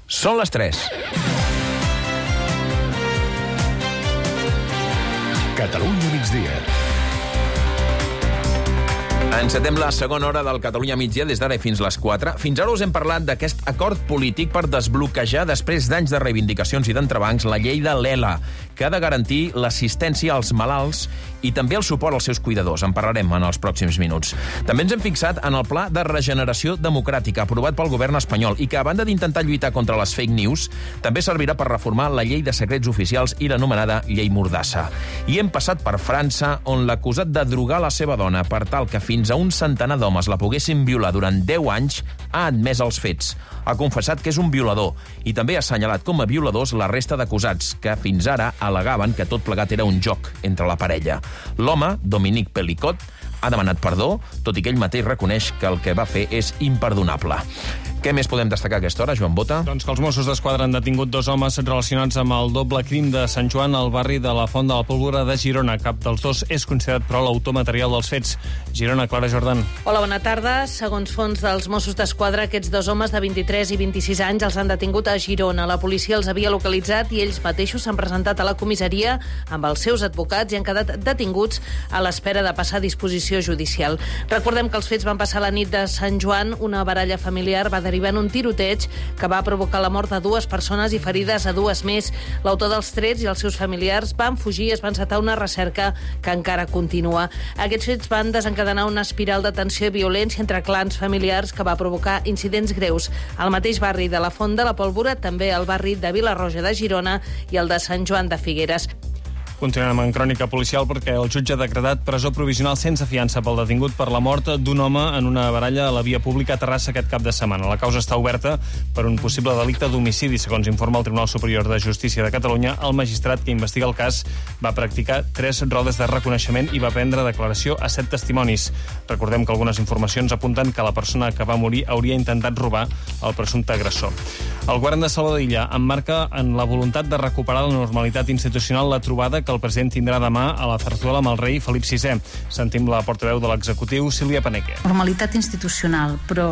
Són les 3. Catalunya migdia. Encetem la segona hora del Catalunya migdia des d'ara i fins les 4. Fins ara us hem parlat d'aquest acord polític per desbloquejar, després d'anys de reivindicacions i d'entrebancs, la llei de l'ELA, que ha de garantir l'assistència als malalts i també el suport als seus cuidadors. En parlarem en els pròxims minuts. També ens hem fixat en el Pla de Regeneració Democràtica, aprovat pel govern espanyol, i que, a banda d'intentar lluitar contra les fake news, també servirà per reformar la llei de secrets oficials i l'anomenada llei Mordassa. I hem passat per França, on l'acusat de drogar la seva dona per tal que fins a un centenar d'homes la poguessin violar durant 10 anys ha admès els fets. Ha confessat que és un violador i també ha assenyalat com a violadors la resta d'acusats, que fins ara al·legaven que tot plegat era un joc entre la parella. L'home, Dominique Pellicot, ha demanat perdó, tot i que ell mateix reconeix que el que va fer és imperdonable. Què més podem destacar a aquesta hora, Joan Bota? Doncs que els Mossos d'Esquadra han detingut 2 homes relacionats amb el doble crim de Sant Joan al barri de la Font de la Pólvora de Girona. Cap dels dos és considerat, però, l'autor material dels fets. Girona, Clara Jordan. Hola, bona tarda. Segons fons dels Mossos d'Esquadra, aquests 2 homes de 23 i 26 anys els han detingut a Girona. La policia els havia localitzat i ells mateixos s'han presentat a la comissaria amb els seus advocats i han quedat detinguts a l'espera de passar a disposició judicial. Recordem que els fets van passar la nit de Sant Joan. Una baralla familiar va derivar en un tiroteig que va provocar la mort de 2 persones i ferides a 2 més. L'autor dels trets i els seus familiars van fugir i es va encetar una recerca que encara continua. Aquests fets van desencadenar una espiral de tensió i violència entre clans familiars que va provocar incidents greus al mateix barri de la Font de la Pólvora, també al barri de Vilarroja de Girona i el de Sant Joan de Figueres. Continuem en crònica policial perquè el jutge ha decretat presó provisional sense fiança pel detingut per la mort d'un home en una baralla a la via pública a Terrassa aquest cap de setmana. La causa està oberta per un possible delicte d'homicidi. Segons informa el Tribunal Superior de Justícia de Catalunya, el magistrat que investiga el cas va practicar 3 rodes de reconeixement i va prendre declaració a 7 testimonis. Recordem que algunes informacions apunten que la persona que va morir hauria intentat robar el presumpte agressor. El govern de Salvador Illa emmarca en la voluntat de recuperar la normalitat institucional la trobada que el president tindrà demà a la Zarzuela amb el rei Felip VI. Sentim la portaveu de l'executiu, Sílvia Paneque. Normalitat institucional, però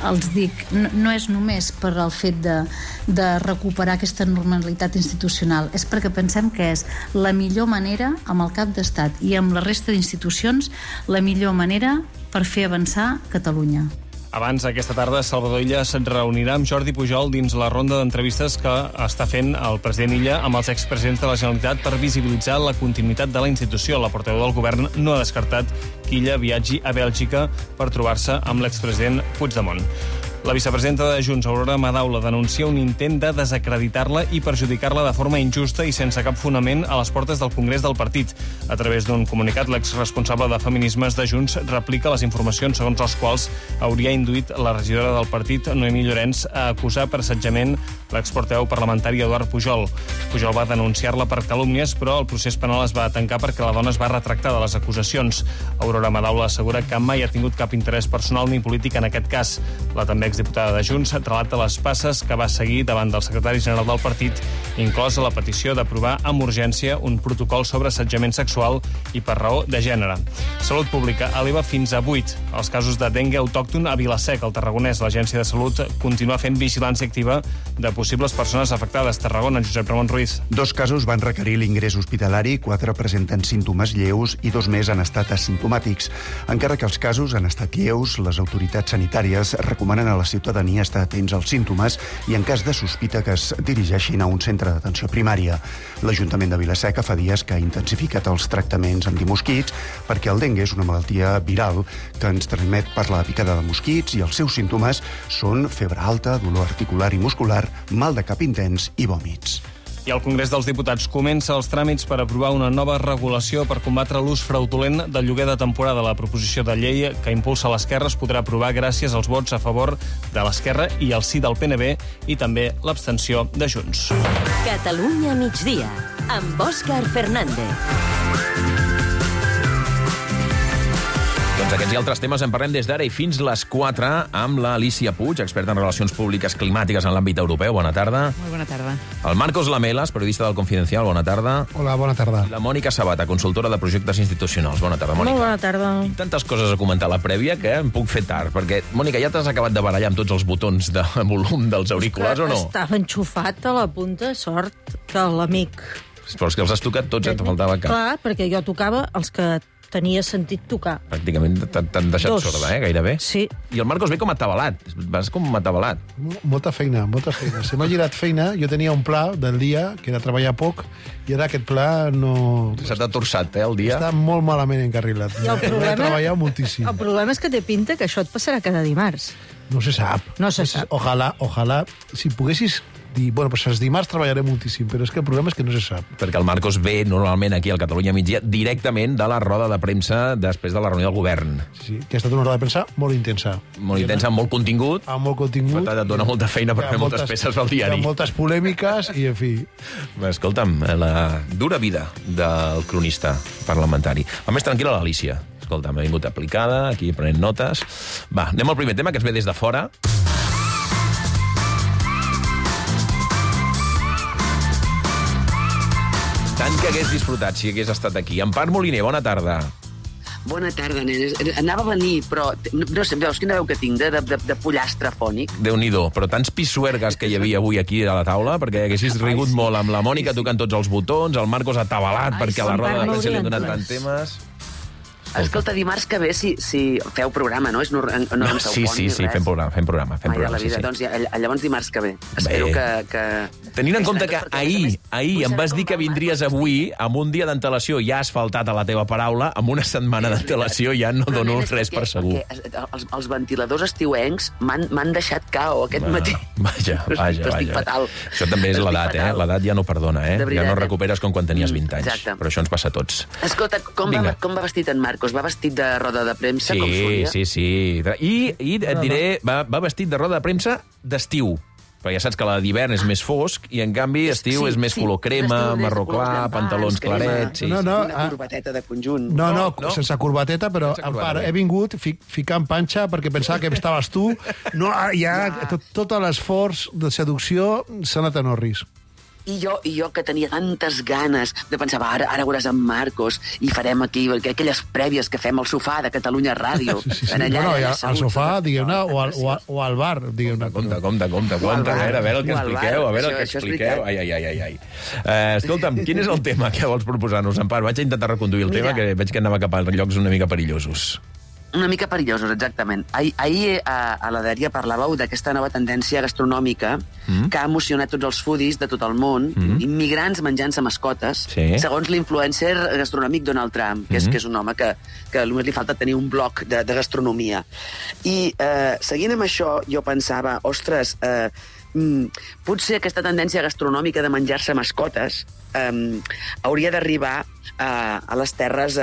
els dic, no és només per el fet de recuperar aquesta normalitat institucional, és perquè pensem que és la millor manera, amb el cap d'estat i amb la resta d'institucions, la millor manera per fer avançar Catalunya. Abans, aquesta tarda, Salvador Illa se'n reunirà amb Jordi Pujol dins la ronda d'entrevistes que està fent el president Illa amb els expresidents de la Generalitat per visibilitzar la continuïtat de la institució. La portaveu del govern no ha descartat que Illa viatgi a Bèlgica per trobar-se amb l'expresident Puigdemont. La vicepresidenta de Junts, Aurora Madaula, denuncia un intent de desacreditar-la i perjudicar-la de forma injusta i sense cap fonament a les portes del Congrés del partit. A través d'un comunicat, l'exresponsable de Feminismes de Junts replica les informacions segons les quals hauria induït la regidora del partit, Noemí Llorenç, a acusar per assetjament l'exportaveu parlamentari Eduard Pujol. Pujol va denunciar-la per calúmnies, però el procés penal es va tancar perquè la dona es va retractar de les acusacions. Aurora Madaula assegura que mai ha tingut cap interès personal ni polític en aquest cas. La també exdiputada de Junts relata les passes que va seguir davant del secretari general del partit, inclosa la petició d'aprovar amb urgència un protocol sobre assetjament sexual i per raó de gènere. Salut Pública eleva fins a 8 els casos de dengue autòcton a Vila-Seca, al Tarragonès. L'Agència de Salut continua fent vigilància activa de possibles persones afectades. Tarragona, Josep Ramon Ruiz. 2 casos van requerir l'ingrés hospitalari, 4 presenten símptomes lleus i 2 més han estat asimptomàtics. Encara que els casos han estat lleus, les autoritats sanitàries recomanen a la ciutadania estar atents als símptomes i, en cas de sospita, que es dirigeixin a un centre d'atenció primària. L'Ajuntament de Vila-Seca fa dies que ha intensificat els tractaments antimosquits perquè el dengue és una malaltia viral que ens transmet per la picada de mosquits i els seus símptomes són febre alta, dolor articular i muscular, mal de cap intens i vòmits. I el Congrés dels Diputats comença els tràmits per aprovar una nova regulació per combatre l'ús fraudulent del lloguer de temporada. La proposició de llei que impulsa l'Esquerra es podrà aprovar gràcies als vots a favor de l'Esquerra i al sí del PNB i també l'abstenció de Junts. Catalunya migdia, amb Òscar Fernández. Doncs aquests i altres temes en parlem des d'ara i fins les 4 amb l'Alícia Puig, experta en relacions públiques climàtiques en l'àmbit europeu. Bona tarda. Molt bona tarda. El Marcos Lamelas, periodista del Confidencial. Bona tarda. Hola, bona tarda. I la Mònica Sabata, consultora de projectes institucionals. Bona tarda, Mònica. Molt bona tarda. Tinc tantes coses a comentar a la prèvia que em puc fer tard, perquè, Mònica, ja t'has acabat de barallar amb tots els botons de volum dels auriculars o no? Estava enxufat a la punta, sort que l'amic... Però els que els has tocat tots, et faltava cap. Clar, perquè jo tocava els que tenia sentit tocar. Pràcticament t'han deixat Dos. sorda, gairebé. Sí. I el Marcos ve com atabalat. Vas com atabalat. Molta feina, molta feina. Se m'ha girat feina, jo tenia un pla del dia, que era treballar poc, i ara aquest pla no... Se t'ha torçat, el dia. Està molt malament encarrilat. I el He problema... treballat moltíssim. El problema és que té pinta que això et passarà cada dimarts. No se sap. No se sap. Ojalà, si poguessis dir, bueno, pues els dimarts treballaré moltíssim, però és que el problema és que no se sap. Perquè el Marcos ve normalment aquí al Catalunya Migdia directament de la roda de premsa després de la reunió del govern. Sí, que ha estat una roda de premsa molt intensa. Molt intensa, amb molt contingut. Amb molt contingut. Per tant, et dona molta feina per Hi ha fer moltes peces pel diari. Hi ha moltes polèmiques i, en fi... Escolta'm, la dura vida del cronista parlamentari. Va més tranquil·la l'Alícia. Escolta'm, ha vingut aplicada, aquí prenent notes. Va, anem al primer tema, que ens ve des de fora. Tant que hagués disfrutat si hagués estat aquí. Empar Moliner, bona tarda. Bona tarda, nenes. Anava a venir, però no sé, veus quina veu que tinc de pollastre fònic? Déu-n'hi-do, però tants pissuergues que hi havia avui aquí a la taula, perquè haguessis rigut molt amb la Mònica tocant tots els botons, el Marcos atabalat perquè a la roda de premsa li han donat tants temes... Escolta, dimarts que ve, si feu programa, no? No sí, fem programa. Mai a la vida, doncs llavors dimarts que ve. Espero que... Tenint en compte que ahir em vas dir que vindries avui, amb un dia d'antelació ja asfaltat a la teva paraula, amb una setmana d'antelació ja no dono res per segur. Els ventiladors estiuencs m'han deixat cao aquest matí. Vaja. Estic fatal. Això també és l'edat, L'edat ja no perdona, Ja no recuperes com quan tenies 20 anys. Exacte. Però això ens passa a tots. Escolta, com va vestit en Marc? Va vestit de roda de premsa, com solia? Sí. I et diré, va vestit de roda de premsa d'estiu. Perquè ja saps que la d'hivern és més fosc i, en canvi, estiu és més color crema, marró clar, pantalons clarets... Una corbateta de conjunt. No, sense corbateta, però he vingut ficant panxa perquè pensava que estaves tu. No, tot l'esforç de seducció s'ha anat en orris. I jo que tenia tantes ganes de pensar, ara veuràs en Marcos i farem aquí aquelles prèvies que fem al sofà de Catalunya Ràdio. Sí. Bueno, al sofà, digueu-ne, o al bar, digueu-ne. Compte. A veure el que expliqueu. Ai. Escolta'm, quin és el tema que vols proposar-nos, Empar? Vaig a intentar reconduir el tema, que veig que anava cap a llocs una mica perillosos. Una mica perillosos, exactament. Ahir a la dèria parlàveu d'aquesta nova tendència gastronòmica que ha emocionat tots els foodies de tot el món, immigrants menjant-se mascotes, segons l'influencer gastronòmic Donald Trump, que és un home que només li falta tenir un blog de gastronomia. I seguint amb això, jo pensava, ostres, potser aquesta tendència gastronòmica de menjar-se mascotes hauria d'arribar a les terres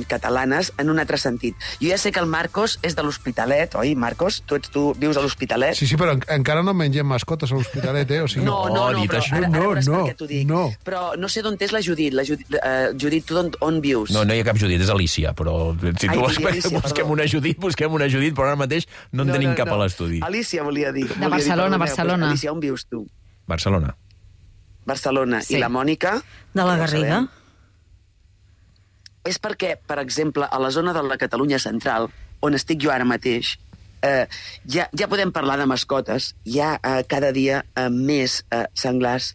catalanes en un altre sentit. Jo ja sé que el Marcos és de l'Hospitalet, oi, Marcos? Tu vius a l'Hospitalet? Sí, però encara no mengem mascotes a l'Hospitalet, O sigui, no, però ara veuràs per què t'ho dic. Però no sé d'on és la Judit. Judit, tu on vius? No hi ha cap Judit, és Alicia, però si tu busquem una Judit, però ara mateix no en tenim cap a l'estudi. Alicia volia dir. De Barcelona. Alicia, on vius tu? Barcelona. I la Mònica? De la Garriga. És perquè, per exemple, a la zona de la Catalunya central, on estic jo ara mateix, ja podem parlar de mascotes, hi ha cada dia més senglars,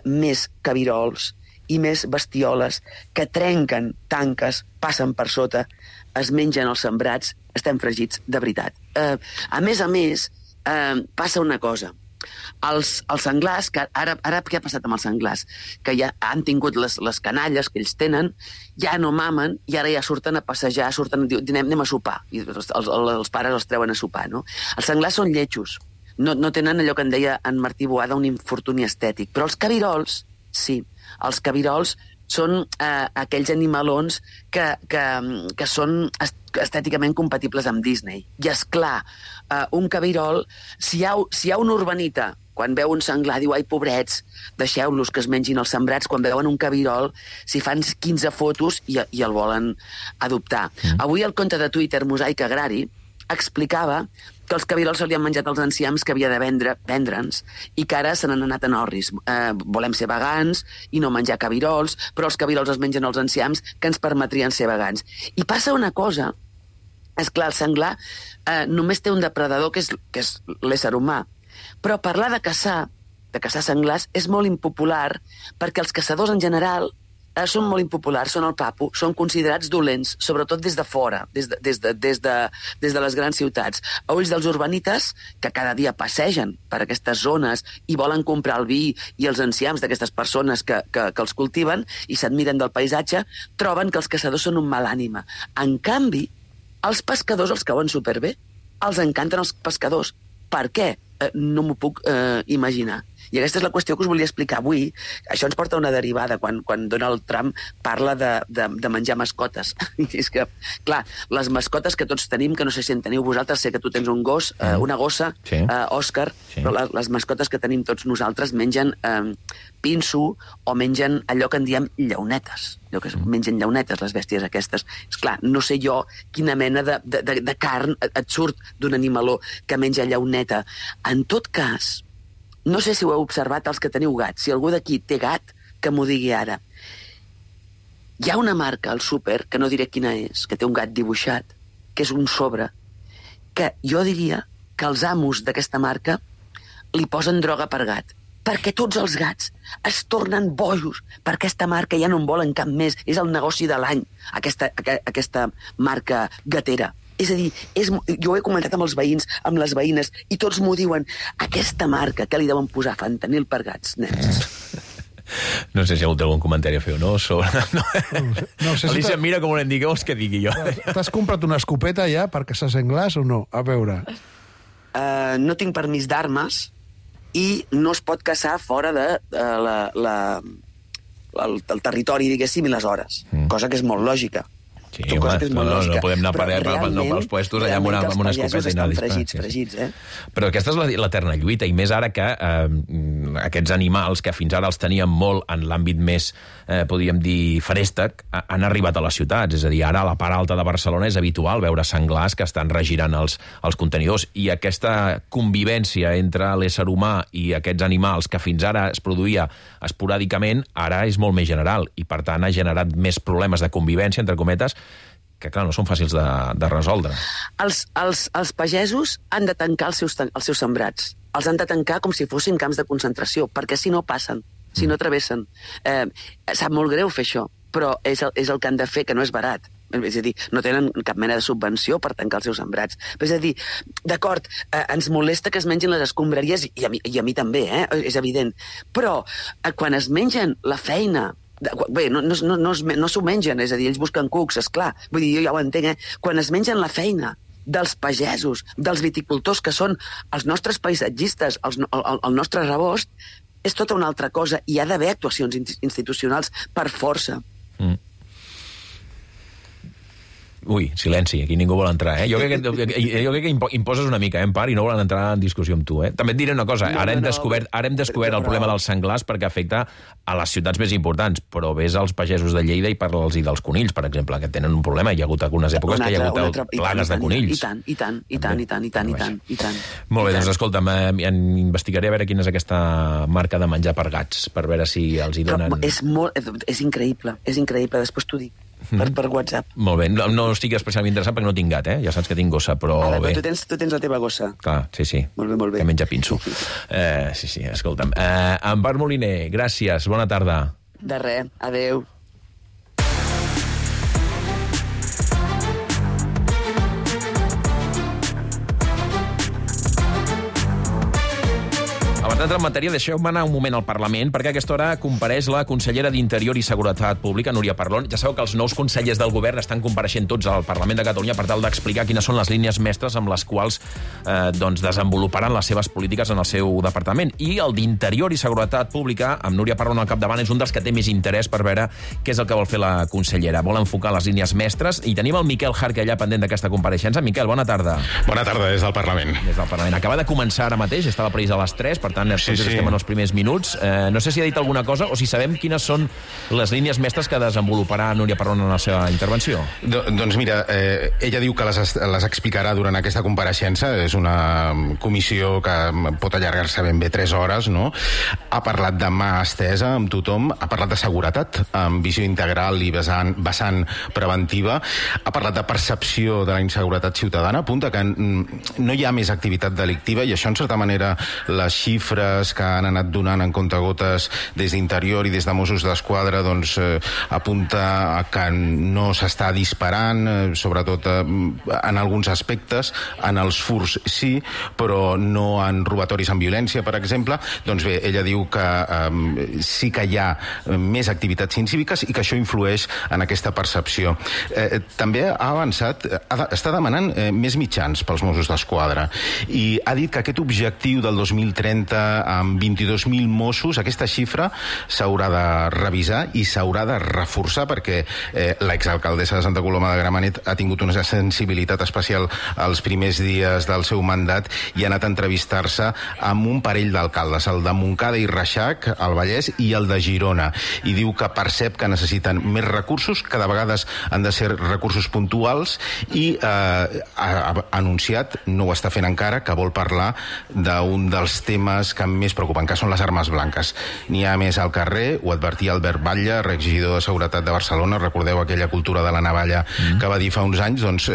més cabirols i més bestioles que trenquen tanques, passen per sota, es mengen els sembrats, estem fregits de veritat. A més, passa una cosa. Els senglars, que ara què ha passat amb els senglars? Que ja han tingut les canalles que ells tenen, ja no mamen i ara ja surten a passejar, anem a sopar. I els pares els treuen a sopar, no? Els senglars són lletjos. No tenen allò que en deia en Martí Boada, un infortuni estètic. Però els cabirols, sí. Els cabirols són aquells animalons que són estèticament compatibles amb Disney. I, esclar, un cabirol, si hi ha una urbanita quan veu un senglar, diu, ai, pobrets, deixeu-los que es mengin els sembrats. Quan veuen un cabirol, s'hi fan 15 fotos i el volen adoptar. Avui el compte de Twitter, Mosaic Agrari, explicava que els cabirols se li han menjat els enciams que havia de vendre'ns i que ara se n'han anat en orris. Volem ser vegans i no menjar cabirols, però els cabirols es mengen els enciams que ens permetrien ser vegans. I passa una cosa, és clar, el senglar només té un depredador, que és l'ésser humà. Però parlar de caçar senglars és molt impopular perquè els caçadors en general són molt impopulars, són el papo, són considerats dolents, sobretot des de fora, des de les grans ciutats. A ulls dels urbanites, que cada dia passegen per aquestes zones i volen comprar el vi i els enciams d'aquestes persones que els cultiven i s'admiren del paisatge, troben que els caçadors són un mal ànima. En canvi, els pescadors els cauen superbé. Els encanten els pescadors. Per què? No m'ho puc imaginar. I aquesta és la qüestió que us volia explicar avui. Això ens porta a una derivada quan Donald Trump parla de menjar mascotes. I és que, clar, les mascotes que tots tenim, que no sé si en teniu vosaltres, sé que tu tens un gos, una gossa, sí. Òscar, sí. Però les mascotes que tenim tots nosaltres mengen pinso o mengen allò que en diem llaunetes. Allò que mengen llaunetes, les bèsties aquestes. Esclar, no sé jo quina mena de carn et surt d'un animaló que menja llauneta. En tot cas, no sé si ho heu observat els que teniu gats. Si algú d'aquí té gat, que m'ho digui ara. Hi ha una marca al súper, que no diré quina és, que té un gat dibuixat, que és un sobre, que jo diria que els amos d'aquesta marca li posen droga per gat. Perquè tots els gats es tornen bojos per aquesta marca, ja no en volen cap més. És el negoci de l'any, aquesta marca gatera. És a dir, jo ho he comentat amb els veïns, amb les veïnes, i tots m'ho diuen, aquesta marca que li deuen posar fentanil per gats, nens. No sé si ha hagut algun comentari a fer o no sobre... No sé Alicia, mira com em digueu que digui jo. T'has comprat una escopeta ja per caçar senglars o no? A veure. No tinc permís d'armes i no es pot caçar fora del territori, diguéssim, i les hores. Cosa que és molt lògica. Sí, home, no podem anar pels puestos allà amb una escopeta i anar disparant. Fregits, eh? Però aquesta és l'eterna lluita, i més ara que aquests animals, que fins ara els teníem molt en l'àmbit més, podríem dir, feréstec, han arribat a les ciutats. És a dir, ara a la part alta de Barcelona és habitual veure senglars que estan regirant els contenidors, i aquesta convivència entre l'ésser humà i aquests animals que fins ara es produïa esporàdicament, ara és molt més general, i per tant ha generat més problemes de convivència, entre cometes, que, clar, no són fàcils de resoldre. Els pagesos han de tancar els seus sembrats. Els han de tancar com si fossin camps de concentració, perquè si no passen, si no travessen. Sap molt greu fer això, però és el que han de fer, que no és barat. És a dir, no tenen cap mena de subvenció per tancar els seus sembrats. És a dir, d'acord, ens molesta que es mengin les escombraries, i a mi també, és evident. Però quan es mengen la feina... Bé, no s'ho mengen, és a dir, ells busquen cucs, esclar. Vull dir, jo ja ho entenc, Quan es mengen la feina dels pagesos, dels viticultors, que són els nostres paisatgistes, el nostre rebost, és tota una altra cosa, i hi ha d'haver actuacions institucionals per força. Ui, silenci, aquí ningú vol entrar, Jo crec que imposes una mica, en part, i no volen entrar en discussió amb tu, També et diré una cosa, ara hem descobert el problema dels senglars perquè afecta a les ciutats més importants, però ves als pagesos de Lleida i parla'ls dels conills, per exemple, que tenen un problema. Hi ha hagut algunes èpoques que hi ha hagut plagues de conills. I tant. Molt bé, doncs escolta'm, investigaré a veure quina és aquesta marca de menjar per gats, per veure si els hi donen... És increïble, després t'ho dic. Per WhatsApp. Molt bé, no estic especialment interessat perquè no tinc gat, Ja saps que tinc gossa, però bé. Però tu tens la teva gossa. Clar, sí. Molt bé. Que menja pinso. Sí, escolta'm. Empar Moliner, gràcies, bona tarda. De res, adeu. Abans d'entrar en matèria, deixeu-me anar un moment al Parlament, perquè a aquesta hora compareix la consellera d'Interior i Seguretat Pública, Núria Parlon. Ja sabeu que els nous consellers del govern estan compareixent tots al Parlament de Catalunya per tal d'explicar quines són les línies mestres amb les quals desenvoluparan les seves polítiques en el seu departament. I el d'Interior i Seguretat Pública, amb Núria Parlon al capdavant, és un dels que té més interès per veure què és el que vol fer la consellera. Vol enfocar les línies mestres, i tenim el Miquel Jarque allà pendent d'aquesta compareixença. Miquel, bona tarda. Bona tarda, des del Parlament. Des del Parlament. Acaba de començar ara mateix, estava previst a les 3, per tant, spoilers, tots estem en els primers minuts. No sé si ha dit alguna cosa o si sabem quines són les línies mestres que desenvoluparà Núria Parlon en la seva intervenció. Doncs mira, ella diu que les explicarà durant aquesta compareixença. És una comissió que pot allargar-se ben bé 3 hores, no? Ha parlat de mà estesa amb tothom, ha parlat de seguretat, amb visió integral i vessant preventiva, ha parlat de percepció de la inseguretat ciutadana, apunta que no hi ha més activitat delictiva, i això, en certa manera, les xifres que han anat donant en comptagotes des d'Interior i des de Mossos d'Esquadra, doncs, apunta a que no s'està disparant, sobretot en alguns aspectes, en els furs sí, però no en robatoris amb violència, per exemple. Doncs bé, ella diu que sí que hi ha més activitats incíviques i que això influeix en aquesta percepció. També ha avançat, està demanant més mitjans pels Mossos d'Esquadra, i ha dit que aquest objectiu del 2030 amb 22.000 Mossos, aquesta xifra s'haurà de revisar i s'haurà de reforçar, perquè l'exalcaldessa de Santa Coloma de Gramenet ha tingut una sensibilitat especial als primers dies del seu mandat i ha anat a entrevistar-se amb un parell d'alcaldes, el de Montcada i Reixac, al Vallès, i el de Girona, i diu que percep que necessiten més recursos, que de vegades han de ser recursos puntuals, i ha anunciat, no ho està fent encara, que vol parlar d'un dels temes que més preocupen, que són les armes blanques. N'hi ha més al carrer, ho advertia Albert Batlle, regidor de Seguretat de Barcelona, recordeu aquella cultura de la navalla que va dir fa uns anys, doncs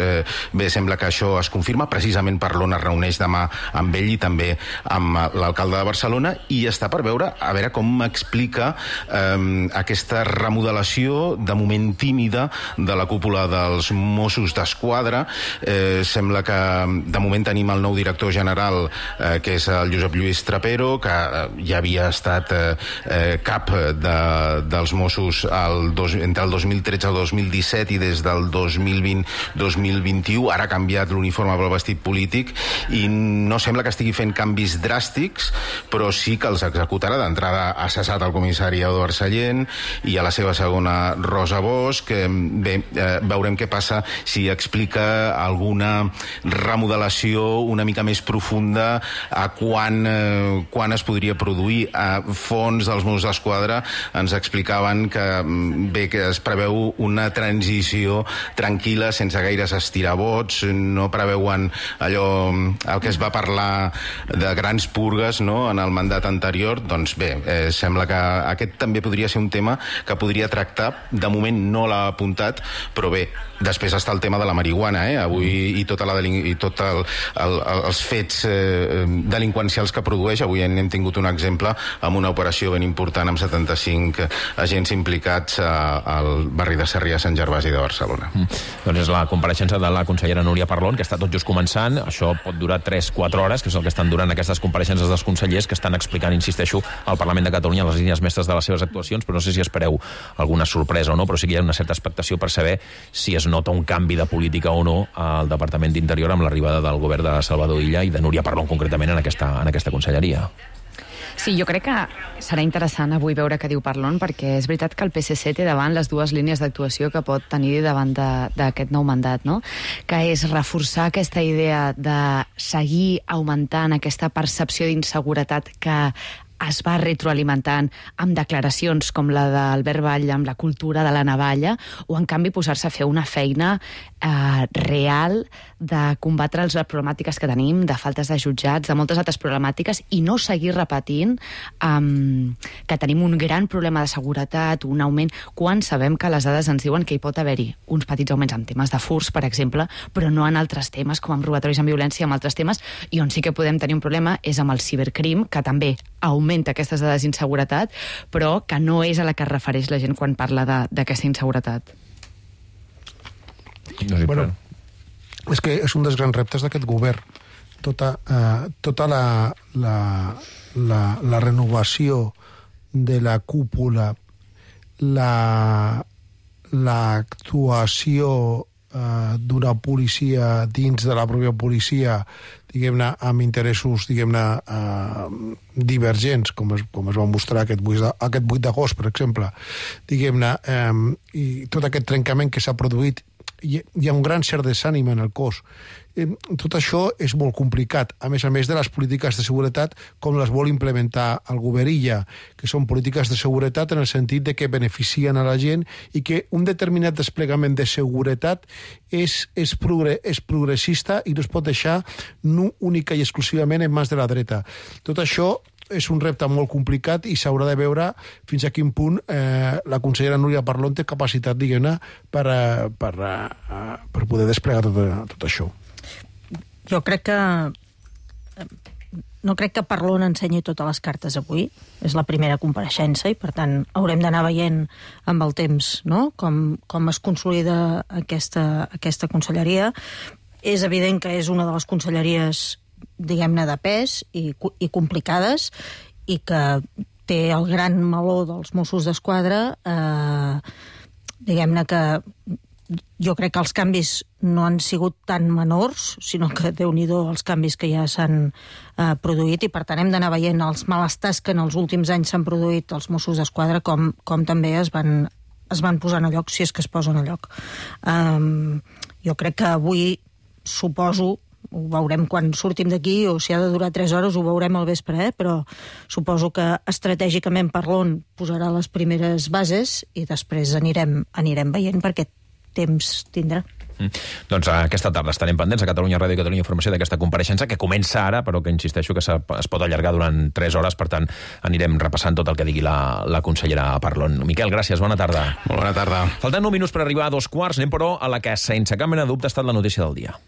bé, sembla que això es confirma. Precisament Parlon es reuneix demà amb ell i també amb l'alcalde de Barcelona, i està per veure, a veure com explica aquesta remodelació de moment tímida de la cúpula dels Mossos d'Esquadra. Sembla que de moment tenim el nou director general, que és el Josep Lluís Trapero, que ja havia estat cap dels Mossos entre el 2013 i el 2017 i des del 2020-2021. Ara ha canviat l'uniforme pel vestit polític i no sembla que estigui fent canvis dràstics, però sí que els executarà. D'entrada ha cessat el comissari Eduard Sallent i a la seva segona Rosa Bosch. Bé, veurem què passa, si explica alguna remodelació una mica més profunda a quan es podria produir. A fons dels Mossos d'Esquadra ens explicaven que bé, que es preveu una transició tranquil·la, sense gaires estirabots, no preveuen allò, el que es va parlar de grans purgues, no?, en el mandat anterior. Doncs bé, sembla que aquest també podria ser un tema que podria tractar. De moment no l'ha apuntat, però bé, després està el tema de la marihuana, avui, i tots els fets delinqüencials que produeix. Avui hem tingut un exemple amb una operació ben important amb 75 agents implicats al barri de Sarrià, Sant Gervasi de Barcelona. Doncs és la compareixença de la consellera Núria Parlon, que està tot just començant. Això pot durar 3-4 hores, que és el que estan durant aquestes compareixences dels consellers, que estan explicant, insisteixo, al Parlament de Catalunya les línies mestres de les seves actuacions, però no sé si espereu alguna sorpresa o no, però sí que hi ha una certa expectació per saber si es nota un canvi de política o no al Departament d'Interior amb l'arribada del govern de Salvador Illa i de Núria Parlon concretament en aquesta conselleria. Sí, jo crec que serà interessant avui veure què diu Parlon, perquè és veritat que el PSC té davant les dues línies d'actuació que pot tenir davant d'aquest nou mandat, no? Que és reforçar aquesta idea de seguir augmentant aquesta percepció d'inseguretat que es va retroalimentant amb declaracions com la d'Albert Batlle amb la cultura de la navalla, o en canvi posar-se a fer una feina real de combatre les problemàtiques que tenim, de faltes de jutjats, de moltes altres problemàtiques, i no seguir repetint que tenim un gran problema de seguretat, un augment, quan sabem que les dades ens diuen que hi pot haver-hi uns petits augments en temes de furs, per exemple, però no en altres temes, com amb robatoris amb violència, amb altres temes, i on sí que podem tenir un problema és amb el cibercrim, que també augmenta aquestes dades d'inseguretat, però que no és a la que es refereix la gent quan parla d'aquesta inseguretat. Bueno, és que és un dels grans reptes d'aquest govern. Tota la renovació de la cúpula, l'actuació d'una policia dins de la pròpia policia, diguem-ne, amb interessos, diguem-ne, divergents, com es va mostrar aquest 8 d'agost, per exemple, diguem-ne, i tot aquest trencament que s'ha produït hi ha un gran cert desànim en el cos. Tot això és molt complicat, a més de les polítiques de seguretat com les vol implementar el govern Illa, que són polítiques de seguretat en el sentit de que beneficien a la gent i que un determinat desplegament de seguretat és progressista i no es pot deixar única i exclusivament en mans de la dreta. Tot això és un repte molt complicat i s'haurà de veure fins a quin punt la consellera Núria Parlon té capacitat, diguem-ne, per poder desplegar tot això. Jo crec que... No crec que Parlon ensenyi totes les cartes avui. És la primera compareixença i, per tant, haurem d'anar veient amb el temps, no?, com es consolida aquesta conselleria. És evident que és una de les conselleries, diguem-ne, de pes i complicades i que té el gran meló dels Mossos d'Esquadra. Diguem-ne que jo crec que els canvis no han sigut tan menors, sinó que Déu-n'hi-do els canvis que ja s'han produït i per tant hem d'anar veient els malestars que en els últims anys s'han produït als Mossos d'Esquadra com també es van posant a lloc, si és que es posen a lloc. Jo crec que avui, suposo, ho veurem quan sortim d'aquí, o si ha de durar 3 hores ho veurem al vespre, però suposo que estratègicament Parlon posarà les primeres bases i després anirem veient perquè temps tindrà. Doncs aquesta tarda estarem pendents a Catalunya Ràdio i Catalunya Informació d'aquesta compareixença que comença ara, però que insisteixo que es pot allargar durant 3 hores, per tant anirem repassant tot el que digui la consellera Parlon. Miquel, gràcies, bona tarda. Molt bona tarda. Faltant 9 minuts per arribar a 2:15, anem però a la que sense cap mena de dubte ha estat la notícia del dia.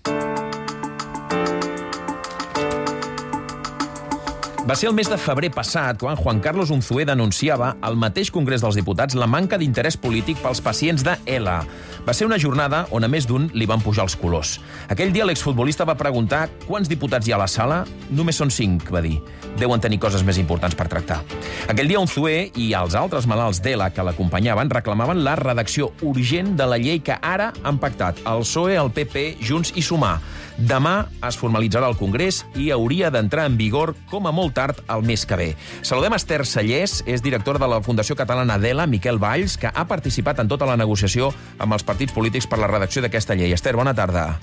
Va ser el mes de febrer passat quan Juan Carlos Unzué denunciava al mateix Congrés dels Diputats la manca d'interès polític pels pacients de ELA. Va ser una jornada on a més d'un li van pujar els colors. Aquell dia l'exfutbolista va preguntar quants diputats hi ha a la sala. Només són 5, va dir. Deuen tenir coses més importants per tractar. Aquell dia Unzué i els altres malalts d'ELA que l'acompanyaven reclamaven la redacció urgent de la llei que ara han pactat el PSOE, el PP, Junts i Sumar. Demà es formalitzarà al Congrés i hauria d'entrar en vigor com a molt tard el mes que ve. Saludem Esther Sallés, és directora de la Fundació Catalana d'ELA, Miquel Valls, que ha participat en tota la negociació amb els partits polítics per la redacció d'aquesta llei. Esther, bona tarda.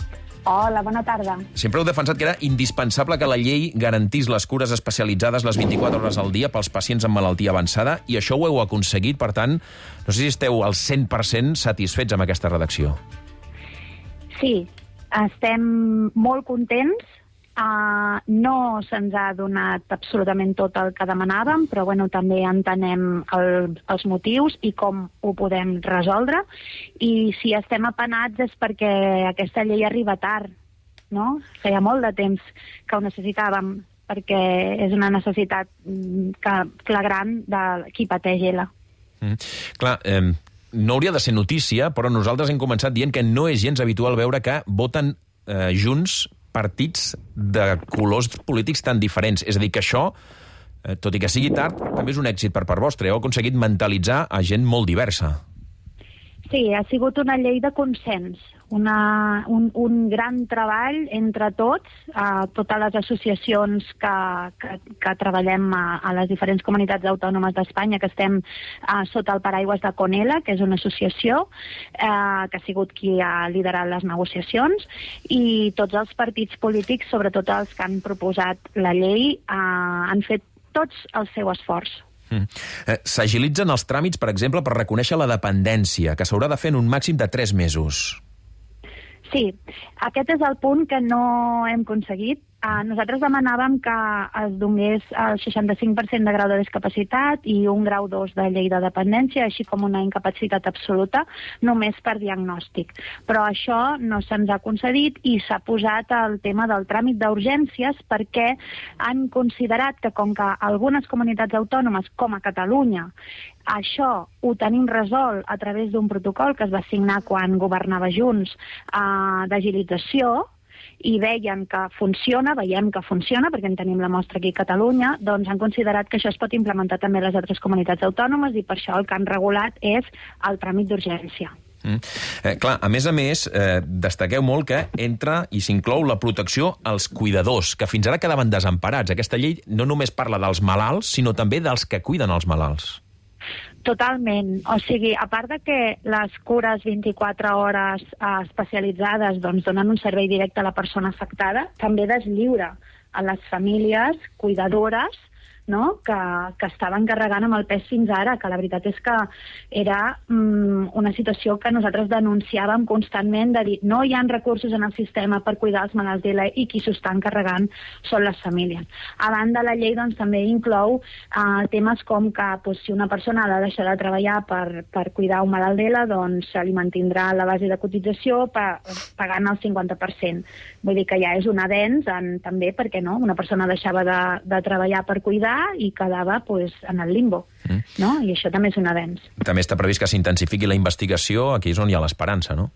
Hola, bona tarda. Sempre heu defensat que era indispensable que la llei garantís les cures especialitzades les 24 hores al dia pels pacients amb malaltia avançada, i això ho heu aconseguit, per tant, no sé si esteu al 100% satisfets amb aquesta redacció. Sí, estem molt contents. No se'ns ha donat absolutament tot el que demanàvem, però també entenem els motius i com ho podem resoldre. I si estem apenats és perquè aquesta llei arriba tard, no? Feia molt de temps que ho necessitàvem, perquè és una necessitat flagrant de qui pateix ELA. Clar, no hauria de ser notícia, però nosaltres hem començat dient que no és gens habitual veure que voten junts partits de colors polítics tan diferents. És a dir, que això, tot i que sigui tard, també és un èxit per part vostra. Heu aconseguit mentalitzar a gent molt diversa. Sí, ha sigut una llei de consens, un gran treball entre tots, totes les associacions que treballem a les diferents comunitats autònomes d'Espanya, que estem sota el paraigües de CONELA, que és una associació que ha sigut qui ha liderat les negociacions, i tots els partits polítics, sobretot els que han proposat la llei, han fet tots el seu esforç. S'agilitzen els tràmits, per exemple, per reconèixer la dependència, que s'haurà de fer en un màxim de 3 mesos. Sí, aquest és el punt que no hem aconseguit. Nosaltres demanàvem que es donés el 65% de grau de discapacitat i un grau 2 de llei de dependència, així com una incapacitat absoluta, només per diagnòstic. Però això no se'ns ha concedit i s'ha posat el tema del tràmit d'urgències perquè han considerat que com que algunes comunitats autònomes, com a Catalunya, això ho tenim resolt a través d'un protocol que es va signar quan governava Junts d'agilització, i veiem que funciona, perquè en tenim la mostra aquí a Catalunya, doncs han considerat que això es pot implementar també a les altres comunitats autònomes i per això el que han regulat és el tràmit d'urgència. Clar, a més, destaqueu molt que entra i s'inclou la protecció als cuidadors, que fins ara quedaven desemparats. Aquesta llei no només parla dels malalts, sinó també dels que cuiden els malalts. Totalment. O sigui, a part de que les cures 24 hores especialitzades doncs, donen un servei directe a la persona afectada, també deslliura a les famílies cuidadores, no? que estaven carregant amb el pes fins ara, que la veritat és que era una situació que nosaltres denunciàvem constantment de dir no hi ha recursos en el sistema per cuidar els malalts d'ELA i qui s'ho estan carregant són les famílies. A banda, la llei doncs, també inclou temes com que si una persona ha de deixar de treballar per cuidar un malalt d'ELA, doncs se li mantindrà la base de cotització pagant el 50%. Vull dir que ja és un avenç també perquè no? Una persona deixava de treballar per cuidar i quedava en el limbo, no? I això també és un avenç. També està previst que s'intensifiqui la investigació, aquí és on hi ha l'esperança, no?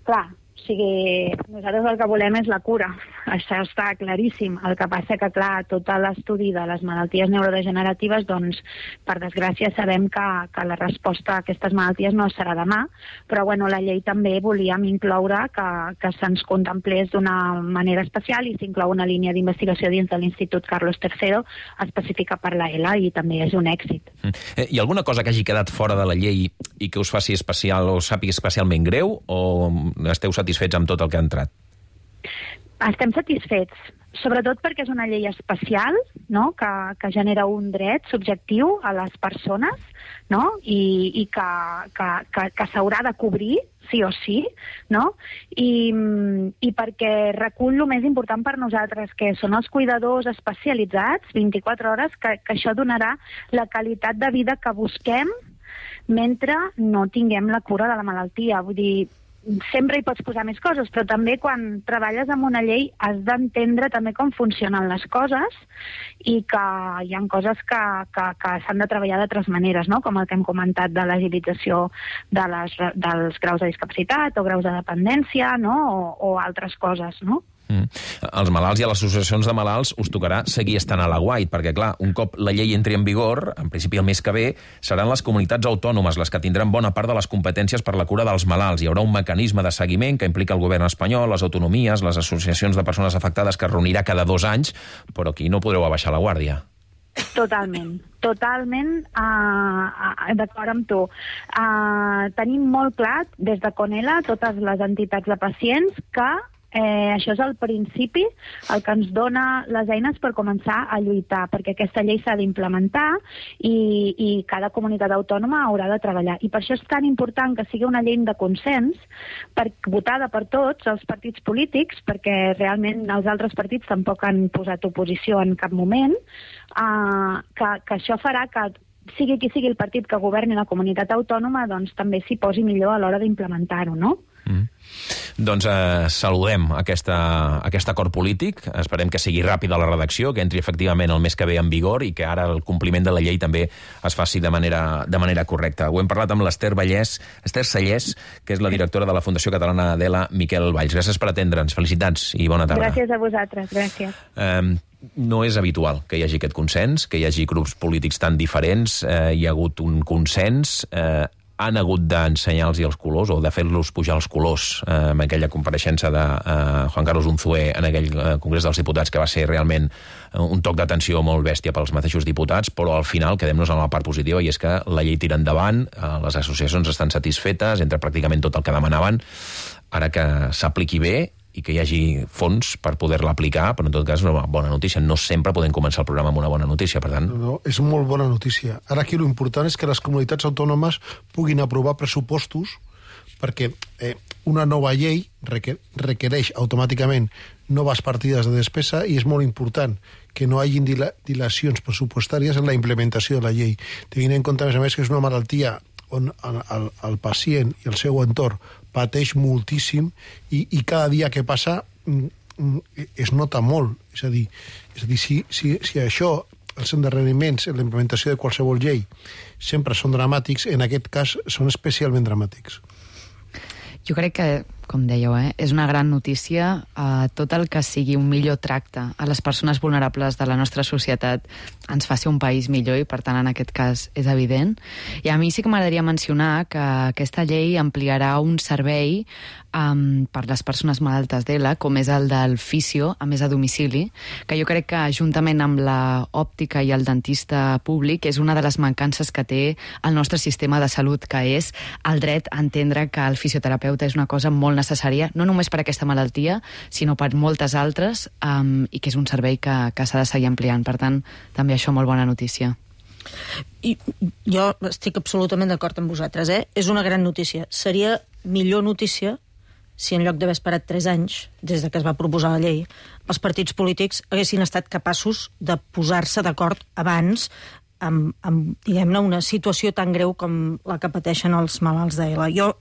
Clar, o sigui, nosaltres el que volem és la cura, això està claríssim. El que passa que, clar, tot l'estudi de les malalties neurodegeneratives, doncs, per desgràcia, sabem que la resposta a aquestes malalties no serà demà, però, bueno, la llei també volíem incloure que se'ns contemplés d'una manera especial i s'inclou una línia d'investigació dins de l'Institut Carlos III específica per la ELA i també és un èxit. Hi ha alguna cosa que hagi quedat fora de la llei i que us faci especial o sàpiga especialment greu o esteu satisfets amb tot el que ha entrat? Estem satisfets, sobretot perquè és una llei especial, no? que genera un dret subjectiu a les persones, no? I que s'haurà de cobrir, sí o sí, no? I perquè recull el més important per nosaltres, que són els cuidadors especialitzats, 24 hores, que això donarà la qualitat de vida que busquem mentre no tinguem la cura de la malaltia. Vull dir, sempre hi pots posar més coses, però també quan treballes amb una llei has d'entendre també com funcionen les coses i que hi ha coses que s'han de treballar d'altres maneres, no? Com el que hem comentat de l'agilització dels graus de discapacitat o graus de dependència, no? O altres coses, no? Els malalts i a les associacions de malalts us tocarà seguir estant a l'aguait, perquè, clar, un cop la llei entri en vigor, en principi el mes que ve, seran les comunitats autònomes les que tindran bona part de les competències per la cura dels malalts. Hi haurà un mecanisme de seguiment que implica el govern espanyol, les autonomies, les associacions de persones afectades, que es reunirà cada 2 anys, però aquí no podreu abaixar la guàrdia. Totalment d'acord amb tu. Tenim molt clar, des de CONELA, totes les entitats de pacients, que això és el principi, el que ens dona les eines per començar a lluitar, perquè aquesta llei s'ha d'implementar i cada comunitat autònoma haurà de treballar. I per això és tan important que sigui una llei de consens, votada per tots els partits polítics, perquè realment els altres partits tampoc han posat oposició en cap moment, que això farà que sigui qui sigui el partit que governi la comunitat autònoma, doncs també s'hi posi millor a l'hora d'implementar-ho, no? Doncs saludem aquest acord polític, esperem que sigui ràpida la redacció, que entri efectivament el mes que ve en vigor i que ara el compliment de la llei també es faci de manera correcta. Ho hem parlat amb l'Ester Sallés, que és la directora de la Fundació Catalana d'ELA, Miquel Valls. Gràcies per atendre'ns, felicitats i bona tarda. Gràcies a vosaltres, gràcies. No és habitual que hi hagi aquest consens, que hi hagi grups polítics tan diferents, hi ha hagut un consens, han hagut d'ensenyar-los els colors o de fer-los pujar els colors en aquella compareixença de Juan Carlos Unzué en aquell Congrés dels Diputats, que va ser realment un toc d'atenció molt bèstia pels mateixos diputats, però al final quedem-nos en la part positiva i és que la llei tira endavant, les associacions estan satisfetes, entra pràcticament tot el que demanaven, ara que s'apliqui bé i que hi hagi fons per poder-la aplicar, però en tot cas una bona notícia. No sempre podem començar el programa amb una bona notícia, per tant... No, és molt bona notícia. Ara aquí l'important és que les comunitats autònomes puguin aprovar pressupostos perquè una nova llei requereix automàticament noves partides de despesa i és molt important que no hi hagin dilacions pressupostàries en la implementació de la llei. Tenint en compte, a més que és una malaltia on el pacient i el seu entorn pateix moltíssim i cada dia que passa es nota molt. És a dir, si això, els endarreriments en la implementació de qualsevol llei sempre són dramàtics, en aquest cas són especialment dramàtics. Jo crec que com dèieu, és una gran notícia. Tot el que sigui un millor tracte a les persones vulnerables de la nostra societat ens faci un país millor i, per tant, en aquest cas és evident. I a mi sí que m'agradaria mencionar que aquesta llei ampliarà un servei per les persones malaltes d'ELA, com és el del fisio, a més a domicili, que jo crec que, juntament amb la òptica i el dentista públic, és una de les mancances que té el nostre sistema de salut, que és el dret a entendre que el fisioterapeuta és una cosa molt necessària, no només per aquesta malaltia, sinó per moltes altres, i que és un servei que s'ha de seguir ampliant. Per tant, també això, molt bona notícia. I jo estic absolutament d'acord amb vosaltres. És una gran notícia. Seria millor notícia si en lloc d'haver esperat 3 anys des de que es va proposar la llei, els partits polítics haguessin estat capaços de posar-se d'acord abans amb diguem-ne, una situació tan greu com la que pateixen els malalts d'ELA. Jo,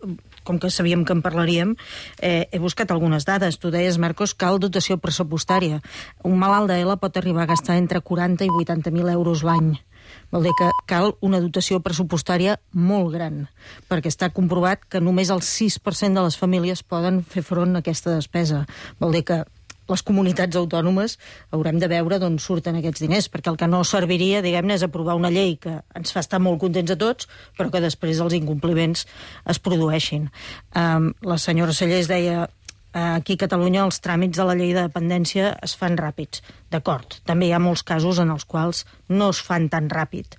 com que sabíem que en parlaríem, he buscat algunes dades. Tu deies, Marcos, cal dotació pressupostària. Un malalt d'ELA pot arribar a gastar entre 40 i 80.000 euros l'any. Vol dir que cal una dotació pressupostària molt gran, perquè està comprovat que només el 6% de les famílies poden fer front a aquesta despesa. Vol dir que les comunitats autònomes haurem de veure d'on surten aquests diners, perquè el que no serviria, diguem-ne, és aprovar una llei que ens fa estar molt contents a tots, però que després els incompliments es produeixin. La senyora Cellers deia: aquí a Catalunya els tràmits de la llei de dependència es fan ràpids. D'acord, també hi ha molts casos en els quals no es fan tan ràpid.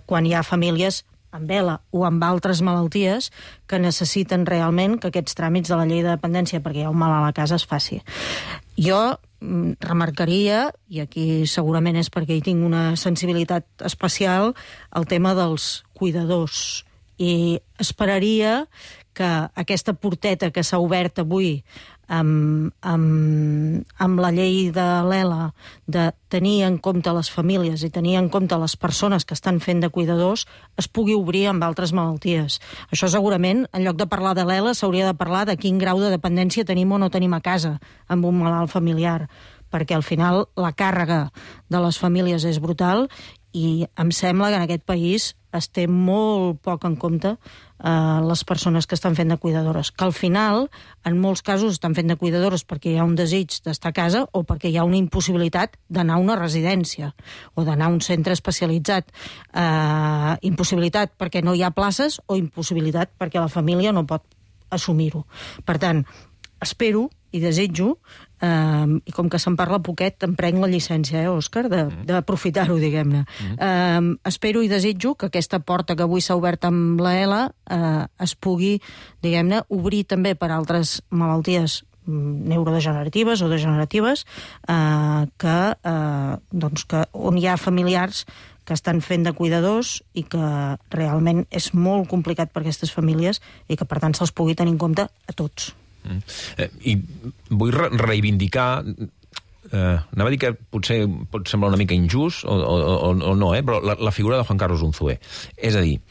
Quan hi ha famílies amb ELA o amb altres malalties que necessiten realment que aquests tràmits de la llei de dependència, perquè hi ha un malalt a la casa, es faci. Jo remarcaria, i aquí segurament és perquè hi tinc una sensibilitat especial, el tema dels cuidadors. I esperaria que aquesta porteta que s'ha obert avui amb la llei de l'ELA, de tenir en compte les famílies i tenir en compte les persones que estan fent de cuidadors, es pugui obrir amb altres malalties. Això segurament, en lloc de parlar de l'ELA, s'hauria de parlar de quin grau de dependència tenim o no tenim a casa amb un malalt familiar, perquè al final la càrrega de les famílies és brutal i em sembla que en aquest país es té molt poc en compte les persones que estan fent de cuidadores, que al final, en molts casos, estan fent de cuidadores perquè hi ha un desig d'estar a casa o perquè hi ha una impossibilitat d'anar a una residència o d'anar a un centre especialitzat. Impossibilitat perquè no hi ha places o impossibilitat perquè la família no pot assumir-ho. Per tant, espero i desitjo, i com que se'n parla poquet, em prenc la llicència, Òscar, d'aprofitar-ho, diguem-ne. Espero i desitjo que aquesta porta que avui s'ha obert amb la ELA es pugui, diguem-ne, obrir també per altres malalties neurodegeneratives o degeneratives on hi ha familiars que estan fent de cuidadors i que realment és molt complicat per aquestes famílies i que, per tant, se'ls pugui tenir en compte a tots. I vull reivindicar, anava a dir que potser pot semblar una mica injust o no, però la figura de Juan Carlos Unzué. És a dir,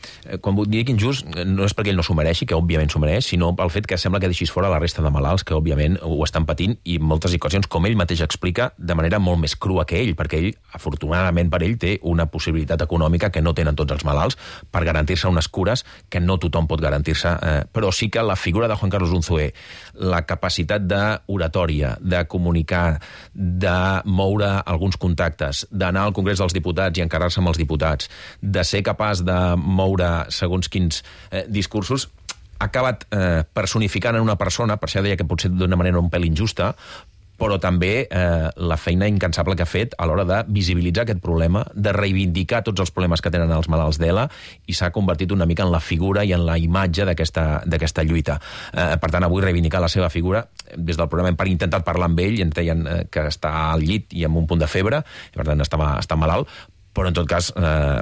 quan dic injust no és perquè ell no s'ho mereixi, que òbviament s'ho mereix, sinó pel fet que sembla que deixis fora la resta de malalts que òbviament ho estan patint i en moltes ocasions, com ell mateix explica, de manera molt més crua que ell, perquè ell, afortunadament per ell, té una possibilitat econòmica que no tenen tots els malalts per garantir-se unes cures que no tothom pot garantir-se, però sí que la figura de Juan Carlos Unzué, la capacitat d'oratòria, de comunicar, de moure alguns contactes, d'anar al Congrés dels Diputats i encarregar-se amb els diputats, de ser capaç de moure segons quins discursos, ha acabat personificant en una persona, per això deia que potser d'una manera un pèl injusta, però també la feina incansable que ha fet a l'hora de visibilitzar aquest problema, de reivindicar tots els problemes que tenen els malalts d'ELA, i s'ha convertit una mica en la figura i en la imatge d'aquesta lluita. Per tant, avui reivindicar la seva figura, des del programa hem intentat parlar amb ell i ens deien que està al llit i amb un punt de febre, i per tant està malalt, però en tot cas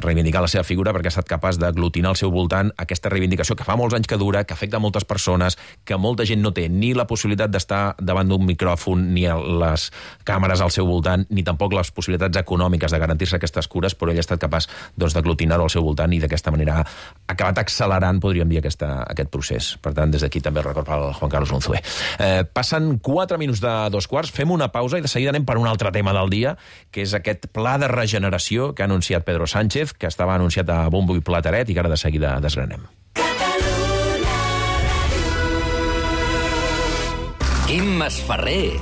reivindicar la seva figura perquè ha estat capaç d'aglutinar al seu voltant aquesta reivindicació que fa molts anys que dura, que afecta moltes persones, que molta gent no té ni la possibilitat d'estar davant d'un micròfon, ni les càmeres al seu voltant, ni tampoc les possibilitats econòmiques de garantir-se aquestes cures, però ell ha estat capaç d'aglutinar-ho al seu voltant i d'aquesta manera ha acabat accelerant, podríem dir, aquest procés. Per tant, des d'aquí també el record pel Juan Carlos Unzué. Passen 4 minuts de 2:15, fem una pausa i de seguida anem per un altre tema del dia, que és aquest pla de regeneració que ha anunciat Pedro Sánchez, que estava anunciat a bombo i plateret i que ara de seguida desgranem. Quim Masferrer.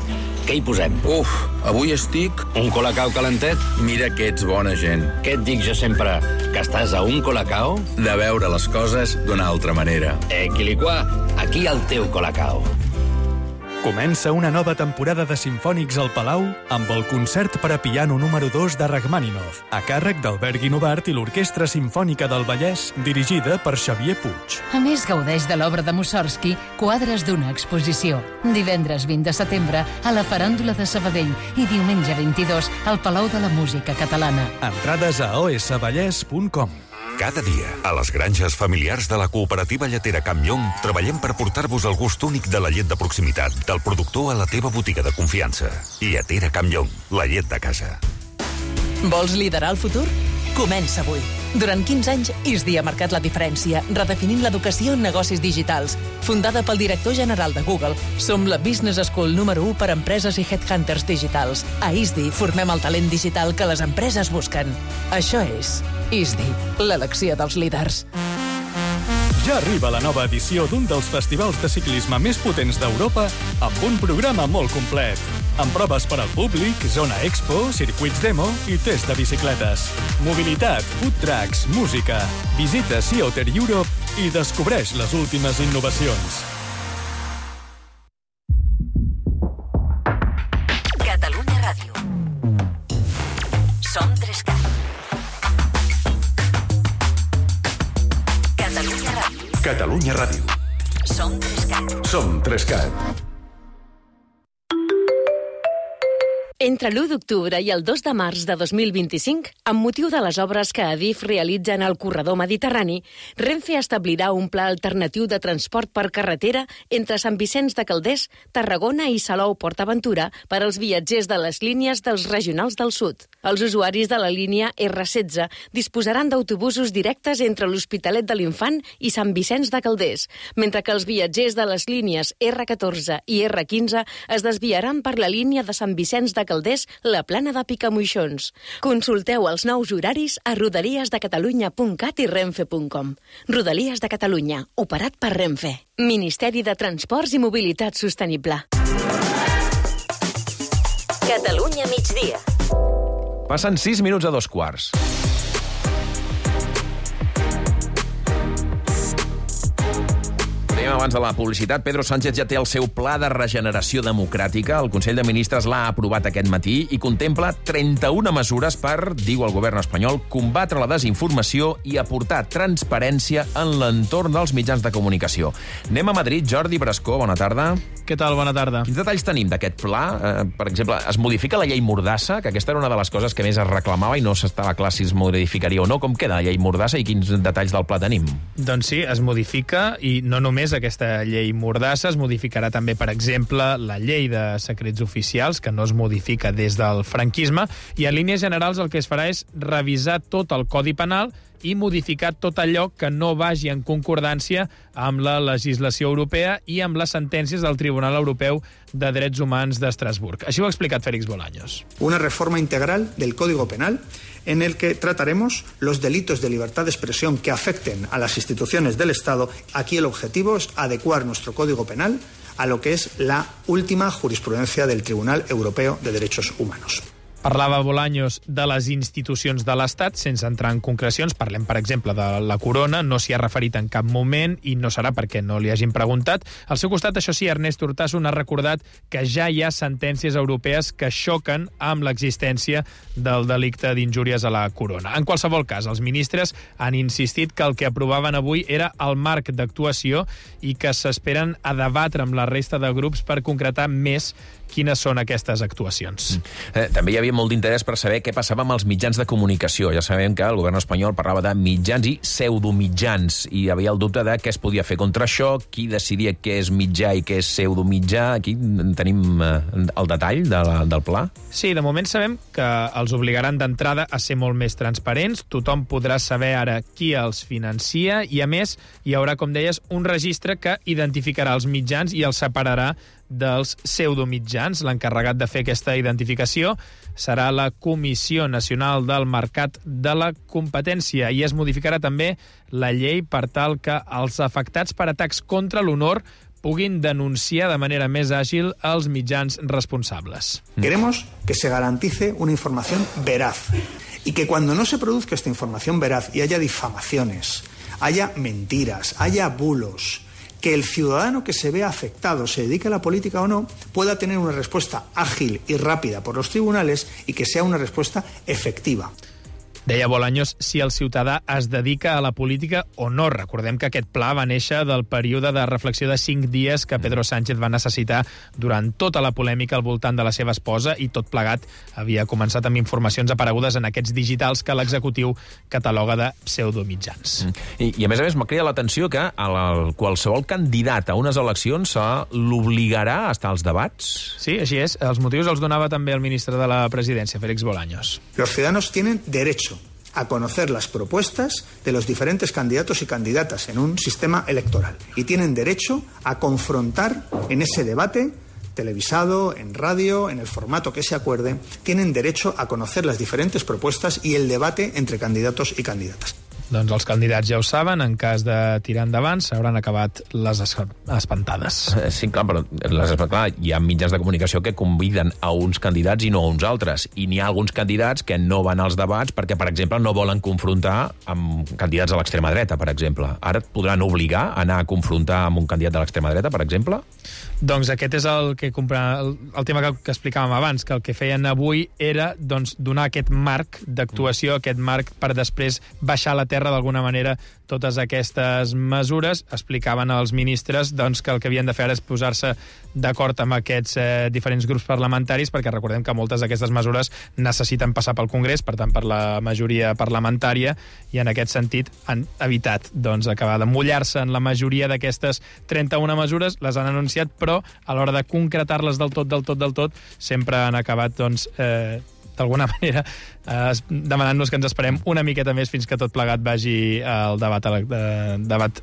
Què hi posem? Uf, avui estic... Un colacao calentet? Mira que ets bona gent. Què et dic jo sempre? Que estàs a un colacao? De veure les coses d'una altra manera. Quiliquà, aquí el teu colacao. Comença una nova temporada de Simfònics al Palau amb el concert per a piano número 2 de Rachmaninoff, a càrrec d'Albert Guinovart i l'Orquestra Simfònica del Vallès, dirigida per Xavier Puig. A més, gaudeix de l'obra de Mussorgsky, Quadres d'una exposició. Divendres 20 de setembre a la Faràndula de Sabadell i diumenge 22 al Palau de la Música Catalana. Entrades a osvallès.com. Cada dia, a les granges familiars de la cooperativa lletera Campllong, treballem per portar-vos el gust únic de la llet de proximitat, del productor a la teva botiga de confiança. Lletera Campllong, la llet de casa. Vols liderar el futur? Comença avui. Durant 15 anys, ISDI ha marcat la diferència, redefinint l'educació en negocis digitals. Fundada pel director general de Google, som la Business School número 1 per a empreses i headhunters digitals. A ISDI formem el talent digital que les empreses busquen. Això és ISDI, l'elecció dels líders. Ja arriba la nova edició d'un dels festivals de ciclisme més potents d'Europa amb un programa molt complet. Amb proves per al públic, zona expo, circuits demo i test de bicicletes. Mobilitat, food trucks, música. Visita Sea Otter Europe i descobreix les últimes innovacions. Catalunya Ràdio. Som 3CAT. Catalunya Ràdio. Catalunya Ràdio. Som 3CAT. Som 3CAT. Entre l'1 d'octubre i el 2 de març de 2025, amb motiu de les obres que Adif realitza en el corredor mediterrani, Renfe establirà un pla alternatiu de transport per carretera entre Sant Vicenç de Calders, Tarragona i Salou-Port-Aventura per als viatgers de les línies dels regionals del sud. Els usuaris de la línia R16 disposaran d'autobusos directes entre l'Hospitalet de l'Infant i Sant Vicenç de Calders, mentre que els viatgers de les línies R14 i R15 es desviaran per la línia de Sant Vicenç de Calders, la Plana de Picamoixons. Consulteu els nous horaris a rodaliesdecatalunya.cat i renfe.com. Rodalies de Catalunya, operat per Renfe. Ministeri de Transports i Mobilitat Sostenible. Catalunya migdia. Passen 6 minuts a 2:15. Abans de la publicitat, Pedro Sánchez ja té el seu pla de regeneració democràtica. El Consell de Ministres l'ha aprovat aquest matí i contempla 31 mesures per, diu el govern espanyol, combatre la desinformació i aportar transparència en l'entorn dels mitjans de comunicació. Anem a Madrid. Jordi Brascó, bona tarda. Què tal? Bona tarda. Quins detalls tenim d'aquest pla? Per exemple, es modifica la llei Mordassa, que aquesta era una de les coses que més es reclamava i no s'estava clar si es modificaria o no. Com queda la llei Mordassa i quins detalls del pla tenim? Doncs sí, es modifica, i no només aquesta llei Mordassa, es modificarà també, per exemple, la llei de secrets oficials, que no es modifica des del franquisme, i en línies generals el que es farà és revisar tot el Codi Penal i modificar tot allò que no vagi en concordància amb la legislació europea i amb les sentències del Tribunal Europeu de Drets Humans d'Estrasburg. Així ho ha explicat Félix Bolaños. Una reforma integral del Código Penal en el que trataremos los delitos de libertad de expresión que afecten a las instituciones del Estado. Aquí el objetivo es adecuar nuestro Código Penal a lo que es la última jurisprudencia del Tribunal Europeo de Derechos Humanos. Parlava Bolaños de les institucions de l'Estat, sense entrar en concrecions. Parlem, per exemple, de la Corona, no s'hi ha referit en cap moment i no serà perquè no li hagin preguntat. Al seu costat, això sí, Ernest Urtasun ha recordat que ja hi ha sentències europees que xoquen amb l'existència del delicte d'injúries a la Corona. En qualsevol cas, els ministres han insistit que el que aprovaven avui era el marc d'actuació i que s'esperen a debatre amb la resta de grups per concretar més quines són aquestes actuacions. També hi havia molt d'interès per saber què passava amb els mitjans de comunicació. Ja sabem que el govern espanyol parlava de mitjans i pseudomitjans, i hi havia el dubte de què es podia fer contra això, qui decidia què és mitjà i què és pseudomitjà. Aquí tenim el detall del pla. Sí, de moment sabem que els obligaran d'entrada a ser molt més transparents. Tothom podrà saber ara qui els financia i, a més, hi haurà, com deies, un registre que identificarà els mitjans i els separarà dels pseudomitjans. L'encarregat de fer aquesta identificació serà la Comissió Nacional del Mercat de la Competència, i es modificarà també la llei per tal que els afectats per atacs contra l'honor puguin denunciar de manera més àgil els mitjans responsables. Queremos que se garantice una información veraz y que cuando no se produzca esta información veraz y haya difamaciones, haya mentiras, haya bulos, que el ciudadano que se vea afectado, se dedique a la política o no, pueda tener una respuesta ágil y rápida por los tribunales y que sea una respuesta efectiva. Deia Bolaños si el ciutadà es dedica a la política o no. Recordem que aquest pla va néixer del període de reflexió de 5 dies que Pedro Sánchez va necessitar durant tota la polèmica al voltant de la seva esposa, i tot plegat havia començat amb informacions aparegudes en aquests digitals que l'executiu cataloga de pseudomitjans. I a més m'ha cridat l'atenció que qualsevol candidat a unes eleccions l'obligarà a estar als debats. Sí, així és. Els motius els donava també el ministre de la Presidència, Félix Bolaños. Los ciudadanos tienen derecho a conocer las propuestas de los diferentes candidatos y candidatas en un sistema electoral. Y tienen derecho a confrontar en ese debate, televisado, en radio, en el formato que se acuerde, tienen derecho a conocer las diferentes propuestas y el debate entre candidatos y candidatas. Doncs els candidats ja ho saben, en cas de tirar endavant s'hauran acabat les espantades. Sí, clar, però hi ha mitjans de comunicació que conviden a uns candidats i no a uns altres. I n'hi ha alguns candidats que no van als debats perquè, per exemple, no volen confrontar amb candidats de l'extrema dreta, per exemple. Ara et podran obligar a anar a confrontar amb un candidat de l'extrema dreta, per exemple? Doncs aquest és el tema que explicàvem abans, que el que feien avui era donar aquest marc d'actuació, aquest marc per després baixar a la terra d'alguna manera totes aquestes mesures. Explicaven els ministres que el que havien de fer és posar-se d'acord amb aquests diferents grups parlamentaris, perquè recordem que moltes d'aquestes mesures necessiten passar pel Congrés, per tant per la majoria parlamentària, i en aquest sentit han evitat acabar de mullar-se en la majoria d'aquestes 31 mesures, les han anunciat, però a l'hora de concretar-les del tot, sempre han acabat d'alguna manera demanant-nos que ens esperem una miqueta més fins que tot plegat vagi al debat